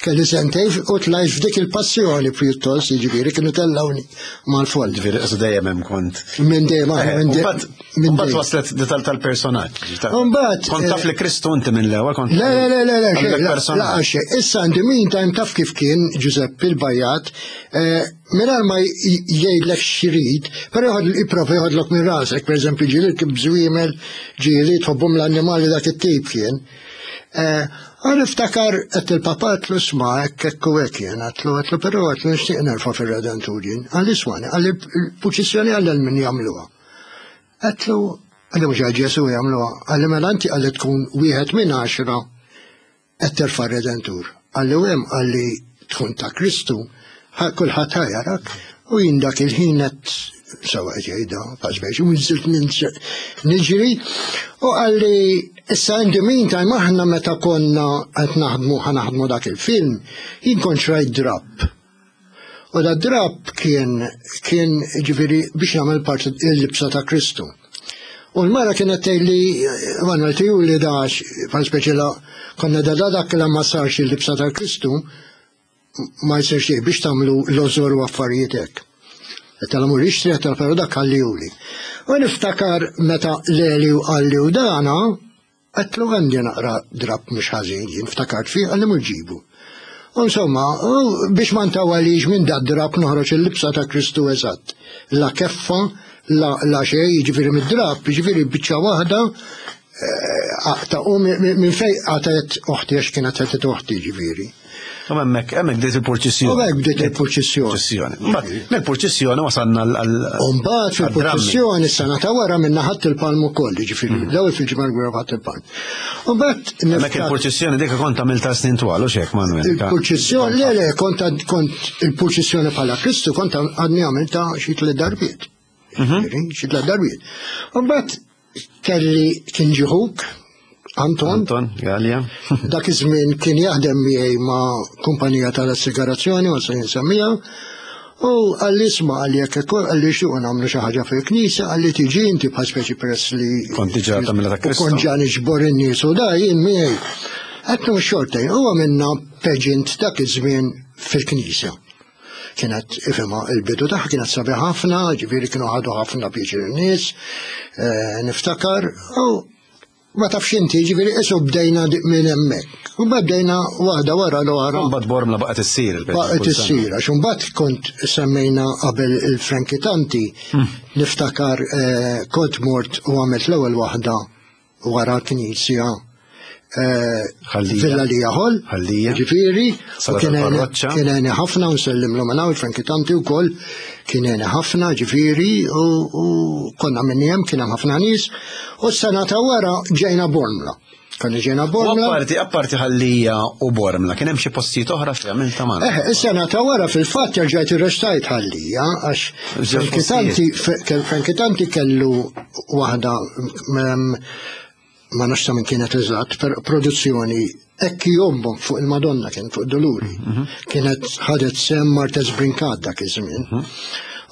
kelli sentejn u tlajt f'dik il-passjoni pjuttost, jiġifieri kienu tellawni mal-foll. Ġifieri qisu dejjem hemm kont. Minn dejjem aħna minn dejjem. Mbagħad waslet detal tal-personaġġ. Mbagħad kont taf li Kristu inti minn l-ewwel kont. Le, le, le, le, le, la, issa in the meantime taf kif kien Giuseppe il-Bajat, mingħajr ma jgħidlek x'irid, però jħod jipprova jħodlok minn rasek, per eżempju ġieli kif żwiemel, ġieli tħobbhom l-annimali, dak it-tip kien. Għan iftakar għedt il-papa, għedtlu, "Isma', hekk hekk u hekk jien," għedtlu, għedtlu, "però," għedtlu, "nixtieq nerfa' fir-Redentur jien." Qalli, "Ismagħni," qalli, "il-purċissjoni għal min jagħmluha?" Għedtlu, qalli, "Mhux għal Ġesu jagħmluha?" Qalli, "Mela inti," qalli, "tkun wieħed minn għaxra qed terfa' Redentur." Qalli, "U hemm," qalli, "tkun ta' Kristu, kulħadd ħa jarak." U jien dak il-ħin qed sewa ġejda, paċ, u nżilt niġri, u qalli, issa in the meantime aħna meta konna qed naħdmu, ħa naħdmu dak il-film, jien kont xrajt drap. U da drap kien kien ġifieri biex nagħmel parti il-libsa ta' Kristu. U l-mara kienet tgħidli, "Manuel, tiju li dax," bħal speċi la konna da dak la ma sarx il-libsa ta' Kristu, ma jsir xejn biex tagħmlu l-ożor u affarijiet hekk. Tal-amur ixtri, tal però dak ħallihuli. U niftakar meta Leli u qalli u dana, għedtlu, "Għandi naqra drap mhux ħażin," jien ftakart fih, qalli, "Mur ġibu." U insomma, biex ma ntawalix, minn da drap noħroġ il-libsa ta' Kristu eżatt. La keffa, la, la xej, ġifieri mid-drap, ġifieri biċċa waħda, aqta' u minn fej qatgħet oħti, għax kienet qed oħti ġifieri. U hemmhekk hemmhekk bdiet il-purċissjoni. U hekk bdiet il-purċissjoni. Purċissjoni. Mbagħad mill-purċissjoni wasalna għal. U mbagħad fil-purċissjoni s-sena ta' wara minna ħadd il-palm ukoll, ġifieri l-ewwel fil-Ġimgħa Kbira ħadd il-palm. U mbagħad Hemmhekk il-purċissjoni dik kont għamilta snin twal u xek, Manuel. Il-purċissjoni, le, le, kont kont il-purċissjoni bħala Kristu kont għadni għamilta xi tliet darbiet. Ġifieri, xi tliet darbiet. U mbagħad kelli kien ġie ħuk Anton. Anton, Gallia. Dak iż-żmien kien jaħdem miegħi ma' kumpanija tal-assigurazzjoni, ma se nsemmija. U qalli, "Isma'," qalli, "jekk qalli xtuq nagħmlu xi ħaġa fil-knisja," qalli, "tiġi inti bħal speċi peress li Kont diġà tagħmilha ta' Kristu. Kont ġa niġbor in-nies u da jien miegħi." Għedtlu xortejn, u għamilna pageant dak iż-żmien fil-knisja. Kienet ifema il-bidu tagħha kienet sabiħ ħafna, ġifieri kienu ħadu ħafna pjaċir in-nies, eh, niftakar, u Ma tafx inti, ġifieri qisu bdejna minn hemmhekk. U bdejna waħda wara l-oħra. Mbagħad Bormla baqgħet issir il Baqgħet issir, għax imbagħad kont semmejna qabel il-Frankie Tanti, niftakar kont mort u għamilt l-ewwel waħda wara l-knisja Villa Lija Hall, ġifieri, u kien għeni ħafna u nsellimlu minn hawn il-Frankie Tanti wkoll kien għeni ħafna, ġifieri, u konna minn hemm kien hemm ħafna nies, u s-sena ta' wara ġejna Bormla. Konna ġejna Bormla. Apparti apparti Ħallija u Bormla, kien hemm xi postijiet oħra fejn għamilta magħna. Eh, is-sena ta' wara fil-fatt rġajt irrestajt Ħallija għax Frankie Tanti kellu waħda ma nafx ta' min kienet eżatt, per produzzjoni ekki jombok fuq il-Madonna kien fuq Doluri. Kienet ħadet sem Martez Brincat dak iż-żmien.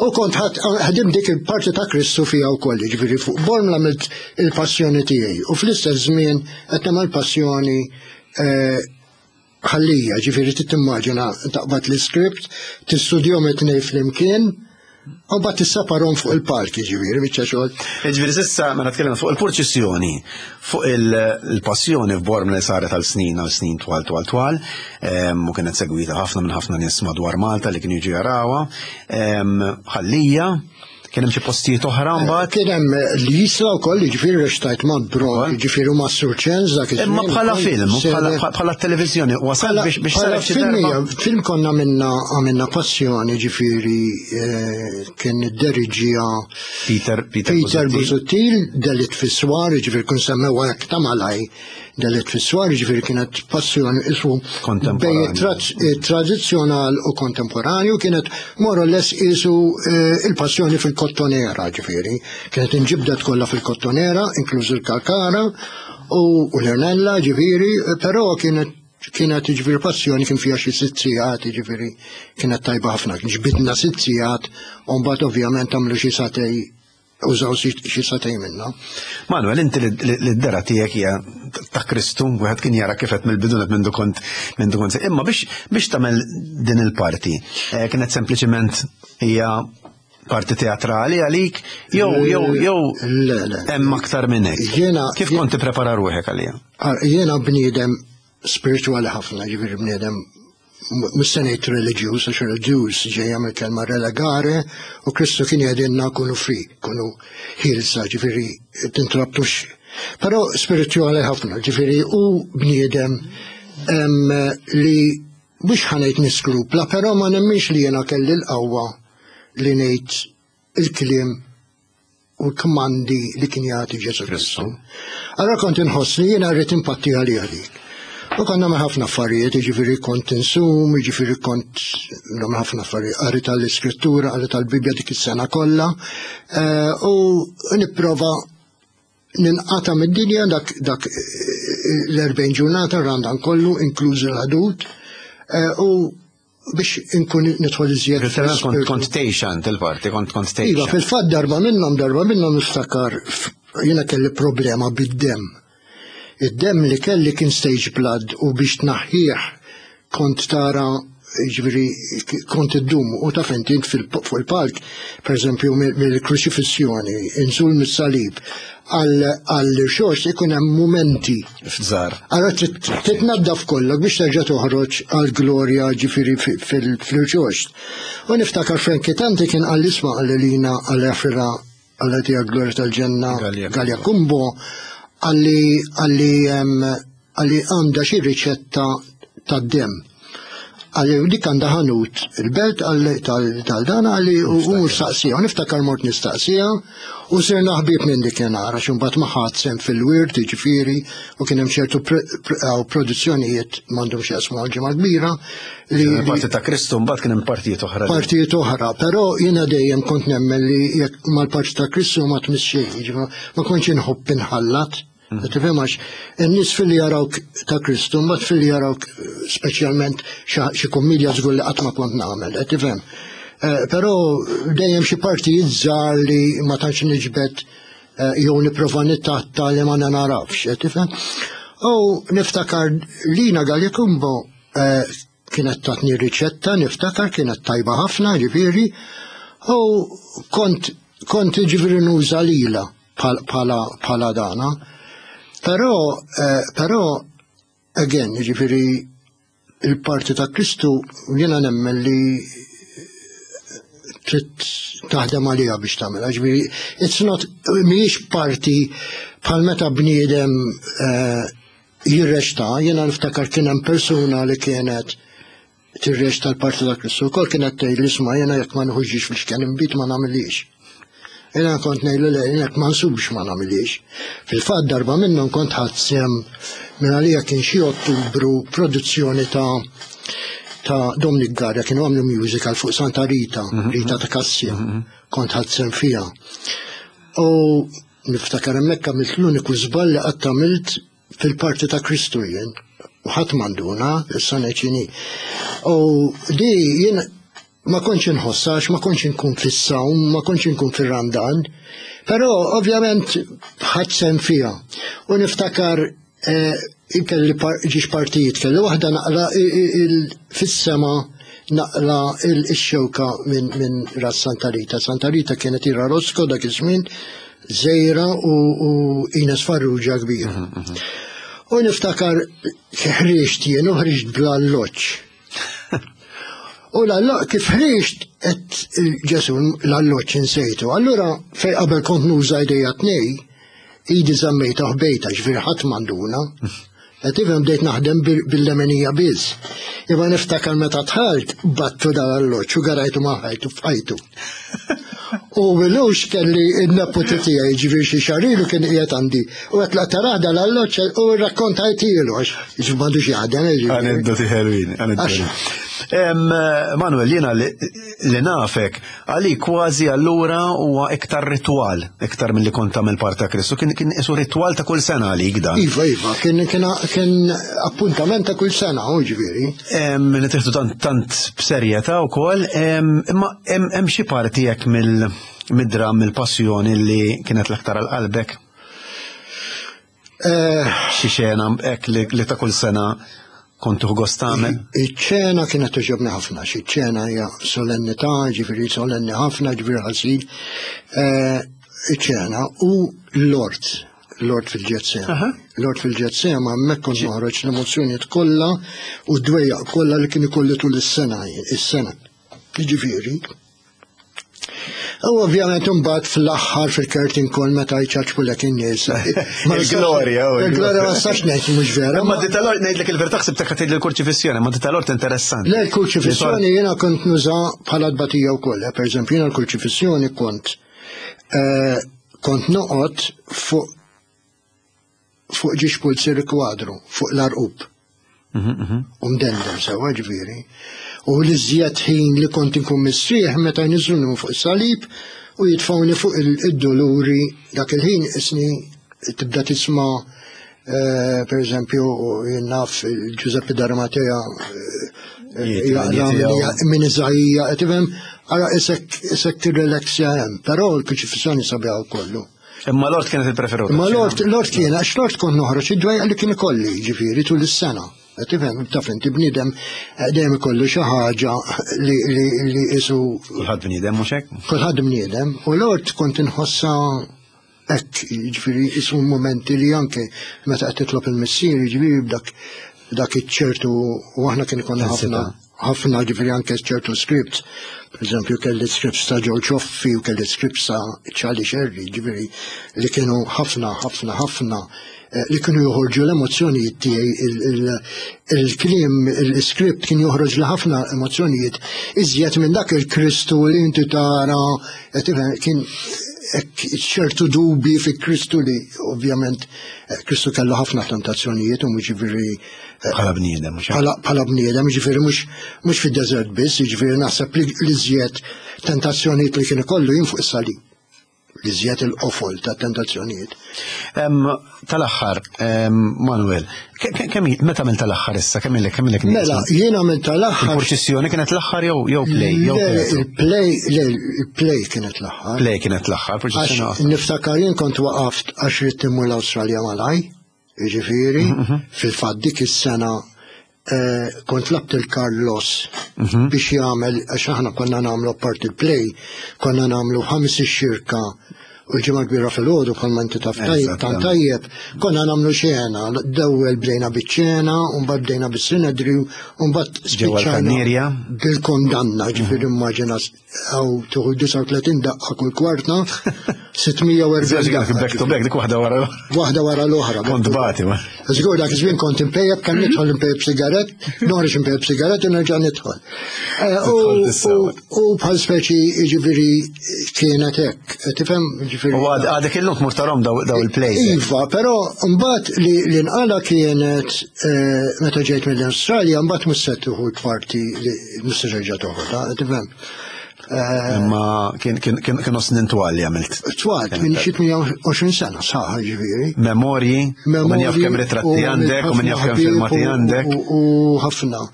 U kont ħadim dik il-parti ta' Kristu fija wkoll, jiġifieri fuq Bormla għamilt il-passjoni tiegħi. U fl-istess żmien qed nagħmel passjoni Ħallija, ġifieri tittimmaġina taqbad l-iskript, tistudjhom it-tnejn flimkien, u mbagħad tisseparhom fuq il-palk, ġifieri biċċa xogħol. Ġifieri s'issa mela tkellimna fuq il-purċissjoni, fuq il-passjoni f'Bormla li saret għal snin għal snin twal twal twal, u kienet segwita ħafna minn ħafna nies madwar Malta li kienu jiġu jarawha. Ħallija, kien hemm xi postijiet oħra mbagħad? Kien hemm l-Isla wkoll, jiġifieri rextajt ma' Bro, jiġifieri ma' Sur Ċenz dak iż-żmien. Imma bħala film, bħala televiżjoni, wasal biex biex saret xi darba. Film konna minna għamilna passjoni, ġifieri kien idderiġija Peter Peter Busuttil, Delit fis-Swar, jiġifieri kun semmewha hekk ta' malaj. Delit fis-Swar, ġifieri kienet passjoni isu bejn tradizzjonal u kontemporanju, kienet more or less isu il-passjoni fil-kottonera, ġifieri. Kienet inġibdet kollha fil-kottonera, inkluż il-Kalkara u l-Ernella, ġifieri, però kienet kienet ġifieri passjoni kien fiha xi sitt sigħat, ġifieri kienet tajba ħafna. Ġbidna sitt sigħat u mbagħad ovvjament għamlu xi satej użaw xi satej minna. Manuel, inti li d-dera tiegħek hija ta' Kristu, wieħed kien jara kif qed mill-bidunet mindu kont mindu kont. Imma biex biex tagħmel din il-parti, kienet sempliċement hija parti teatrali għalik, jew jew jew hemm aktar minn hekk. Kif kont tipprepara ruħek għalija? Jiena bniedem spirituali ħafna, ġifieri bniedem mhux se ngħid reliġjuż, għax reliġjuż ġejja mill-kelma relegare, u Kristu kien jgħidilna kunu free, kunu ħielsa, ġifieri tintrabtux. Però spirituali ħafna, ġifieri u bniedem li mhux ħanejt niskrupla, però ma nemminx li jiena kelli l-qawwa li ngħid il-kliem u l-kmandi li kien jagħti Ġesu Kristu. Allora kont inħoss li jiena rrid impatti għalija dik. U kont nagħmel ħafna affarijiet, jiġifieri kont insum, jiġifieri kont nagħmel ħafna affarijiet, qari tal-Iskrittura, qari tal-Bibbja dik is-sena kollha, u nipprova ninqata' mid-dinja dak dak l-erbgħin ġurnata r-Randan kollu, inkluż il-ħadut, u biex inkun nidħol iżjed. Kont tgħix għand il-parti, kont kont tgħix. Iva, fil-fatt darba minnhom, darba minnhom niftakar jiena kelli problema bid-demm. Id-demm li kelli kien stage blood u biex tnaħħih kont tara, ġifieri kont iddum u taf inti fuq il-palk, pereżempju mill-kruċifissjoni, inżul mis-salib, għall-xorx ikun hemm mumenti. Fżar. Allora titnaddaf kollok biex terġa' toħroġ għall-glorja ġifieri fil-xorx. U niftakar Frankie Tanti kien qal isma' qal lina għal-Afrira għal glorja tal-ġenna Gallia Kumbo għalli għalli għalli għandha xi riċetta tad-demm. Għalli dik għandha ħanut il-belt tal-dana għalli u mistaqsija, u niftakar mort nistaqsija u sirna ħbieb minn dik nara għax imbagħad ma ħadd sem fil-wirt, jiġifieri, u kien hemm ċertu produzzjonijiet m'għandhom x'jaqsmu għal-ġimgħa kbira. Parti ta' Kristu mbagħad kien hemm partijiet oħra. Partijiet oħra, però jiena dejjem kont nemmen li jekk mal-parti ta' Kristu ma tmiss xejn, ma kontx inħobb inħallat. Tifhem għax in-nies filli jarawk ta' Kristu, mbagħad filli jarawk speċjalment xi kummedja żgur li qatt ma kont nagħmel, qed tifhem. Però dejjem xi partijiet żgħar li ma tantx niġbed jew nipprova nittatta li ma narafx, qed tifhem. U niftakar Lina Gallia Kumbo kienet tatni riċetta, niftakar kienet tajba ħafna, ġifieri, u kont kont ġifieri nuża lilha bħala dana. Però, eh, però, again, ġifieri, il-parti ta' Kristu jiena nemmen li trid taħdem għaliha biex tagħmilha. Ġifieri, it's not, mhijiex parti bħal meta bniedem eh, jirreċta, jiena niftakar kien hemm persuna li kienet tirreċta l-parti ta' Kristu, wkoll kienet tgħid li isma' jiena jekk ma nħuġġix fil-xken inbid ma nagħmilix. Jiena kont ngħidlu le, jekk ma nsubx ma nagħmilix. Fil-fatt darba minnhom kont ħadt sehem minn għalija kien xi Ottubru produzzjoni ta' ta' Dominic Garra kienu għamlu musical fuq Santa Rita, Rita ta' Kassja, kont ħadt sehem fiha. U niftakar hemmhekk għamilt l-uniku żball li qatt għamilt fil-parti ta' Kristu jien. U ħadd m'għanduna, issa ngħid. U di jien ma kontx inħossax, ma kontx inkun fis-sawm, ma kontx inkun fir-Randan, però ovvjament ħadt sehem fiha. U niftakar eh, kelli ġiex partijiet, kelli waħda naqla fis-sema naqla il-xewka minn min ras Santa Rita. Santa Rita kienet Ira Rosco dak iż-żmien, żgħira u, u Ines Farrugia kbira. U niftakar ħriġt jien u ħriġt bla alloċ. U l kif ħriġt et Ġesu l-alloċ insejtu. Allura fej qabel kont nuża idejja tnej, idi żammejta ħbejta, ġifieri ħadd m'għanduna. Qed tifhem bdejt naħdem bil-lemenija biss. Imma niftakar meta dħalt battu dal-alloċ u garajtu ma' ħajtu f'ħajtu. U milux kelli n-neputi tiegħi ġifieri xi xahar ilu kien qiegħed għandi. U qed la tarah dal-alloċ u rrakkontajtilu għax ġifieri m'għandux jaħdem. Aneddoti ħelwin, aneddoti. Manuel, jiena li nafek, għali kważi allura huwa iktar ritual, iktar mill-li kont tagħmel parta Kristu, kien kien isu ritual ta' kull sena għalik dan. Iva, iva, kien kien kien appuntament ta' kull sena, u ġifieri. Li tieħdu tant tant b'serjetà wkoll, imma hemm xi parti hekk mill mid-dram mill-passjoni li kienet l-aktar għal qalbek? Xi xena hekk li ta' kull sena kont tieħu gost tagħmel? Iċ-ċena kienet togħġobni ħafna, xi ċena hija solennità, ġifieri solenni ħafna, ġifieri ħasil. Iċ-ċena u l-ort, l-ort fil-Ġetsema. L-ort fil-Ġetsema hemmhekk kont noħroġ l-emozzjonijiet kollha u d-dwejjaq kollha li kien ikolli tul is-sena, is-sena. Ġifieri. U ovvjament imbagħad fl-aħħar fil-curtain call meta jċaċpulek in-nies. Il-glorja, Il-glorja ma nistax ngħid mhux vera. Ma di tal-ort ngħidlek il-verità ħsibtek ħa tgħid l-kurċifissjoni, ma di tal-ort interessanti. Le, l-kurċifissjoni jiena kont nuża bħala tbatija wkoll. Per eżempju, jiena l-kurċifissjoni kont kont noqgħod fuq fuq ġiex pulzieri kwadru, fuq l-arqub. U mdendem sewa ġifieri. U l-iżjed ħin li kont inkun mistrieħ meta jniżżluni fuq is-salib u jitfawni fuq id-doluri dak il-ħin isni tibda tisma' per eżempju jien naf Giuseppe D'Arimatea minn Iżaija, tifhem ara isek isek tirrelaxja hemm, però l-kruċifissjoni sabiħa kollu. Imma l-ort kienet il-preferuta. Imma l-ort l-ort kien għax l-ort kont noħroġ id-dwejjaq li kien ikolli ġifieri tul is-sena. Tifhem, taf inti bniedem dejjem ikollu xi ħaġa li li li isu. Kulħadd bniedem mhux hekk? Kulħadd bniedem u l-ort kont inħossha hekk, jiġifieri isu momenti li anke meta qed titlob il-missier, jiġifieri b'dak dak iċ-ċertu u aħna kien ikollna ħafna ħafna ġifieri anke ċertu scripts. Per eżempju kelli scripts ta' Joe Cioffi u kelli scripts ta' Charlie Sherry, ġifieri li kienu ħafna ħafna ħafna li kienu joħorġu l-emozzjonijiet tiegħi, il-kliem, il-script kien joħroġ li ħafna emozzjonijiet iżjed minn dak il-Kristu li inti tara, kien ċertu dubi fi Kristu li ovvjament Kristu kellu ħafna tentazzjonijiet u mhux ġifieri bħala bniedem, mhux bħala bniedem, ġifieri mhux mhux fid-deżert biss, ġifieri naħseb li iżjed tentazzjonijiet li kien ikollu jien fuq is-salib. Li żjed il-qofol ta' tentazzjonijiet. Tal-aħħar, Manuel, kemm meta għamilt tal-aħħar issa, kemm ilek kemm ilek Mela, jien għamilt tal-aħħar. Il-purċissjoni kienet l-aħħar jew jew play? Jew il-play, le, il-play kienet l-aħħar. Play kienet l-aħħar, purċissjoni. Niftakar jien kont waqaft għax ridt immur l-Awstralja malaj, jiġifieri, fil-fatt dik is-sena kont labt il-Carlos biex jagħmel, għax aħna konna nagħmlu apart il-play, konna nagħmlu ħames ix-xirka U l-Ġimgħa l-Kbira filgħodu bħalma inti taf tajjeb tant tajjeb, konna nagħmlu xena, l-ewwel bdejna biċ-ċena, u mbagħad bdejna bis-sinedriju, u mbagħad spiċċajna bil-kondanna, ġifieri immaġina għaw tuħu disgħa u tletin daqqa kull kwarta, sitt mija u erbgħin daqqa. Back to back, dik waħda wara l-oħra. Waħda wara l-oħra. Kont bati, ma. Żgur dak iż-żmien kont impejjeb, kemm nidħol impejjeb sigarett, noħroġ impejjeb sigarett u nerġa' nidħol. U bħal speċi jiġifieri kienet hekk, tifhem? U għadek illum tmur tarhom daw il-plays. Iva, però mbagħad li nqala kienet meta ġejt mill-Awstralja, mbagħad mhux se tieħu parti li mhux se terġa' toħodha, tifhem? Imma kienu snin twal li għamilt. Twal, minn xi tmien u għoxrin sena sħaħ ġifieri. Memorji, u min jaf kemm ritratti għandek, u min jaf kemm filmati għandek. U ħafna.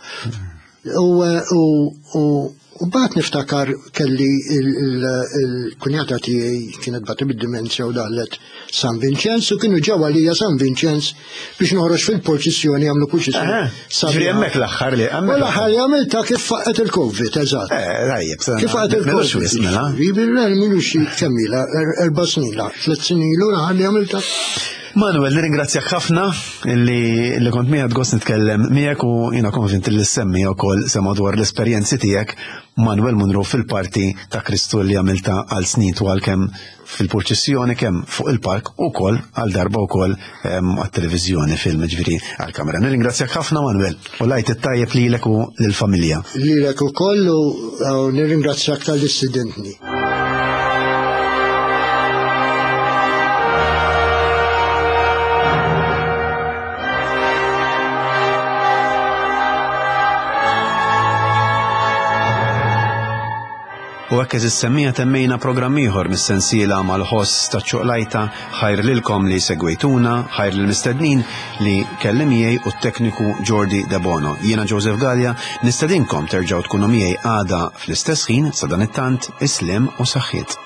U bat niftakar kelli il-kunjata tiegħi kienet bati bid-dimensja u daħlet San Vincenz u kienu ġew għalija San Vincenz biex noħroġ fil-purċissjoni, jagħmlu purċissjoni. Ġifieri hemmhekk l-aħħar li U l-aħħar li għamilta kif faqgħet il-Covid, eżatt. Eh, tajjeb, kif faqgħet il-Covid. Mela. Milux kemm ilha, erba' snin, tliet snin ilu l-aħħar li għamilta. Manuel, nirringrazzjak ħafna li li kont miegħek gost nitkellem miegħek u jiena konvint li semmi wkoll sema dwar l-esperjenzi tiegħek Manuel Munro fil-parti ta' Kristu li għamilta għal snin twal kemm fil-purċissjoni kemm fuq il-park ukoll għal darba wkoll għat-televiżjoni film ġifieri għall-kamera. Nirringrazzjak ħafna Manuel u lajt it-tajjeb lilek u lill-familja. Lilek ukoll u nirringrazzjak tal-istudentni. U hekk eżis semmija temmejna programm ieħor mis-sensiela mal-ħoss ta' ċuqlajta, ħajr lilkom li segwejtuna, ħajr lill-mistednin li kelli miegħi u t-tekniku Jordi Debono. Jiena Joseph Gallia, nistedinkom terġgħu tkunu miegħi għada fl-istess ħin sa dan it-tant, islim u saħħiet.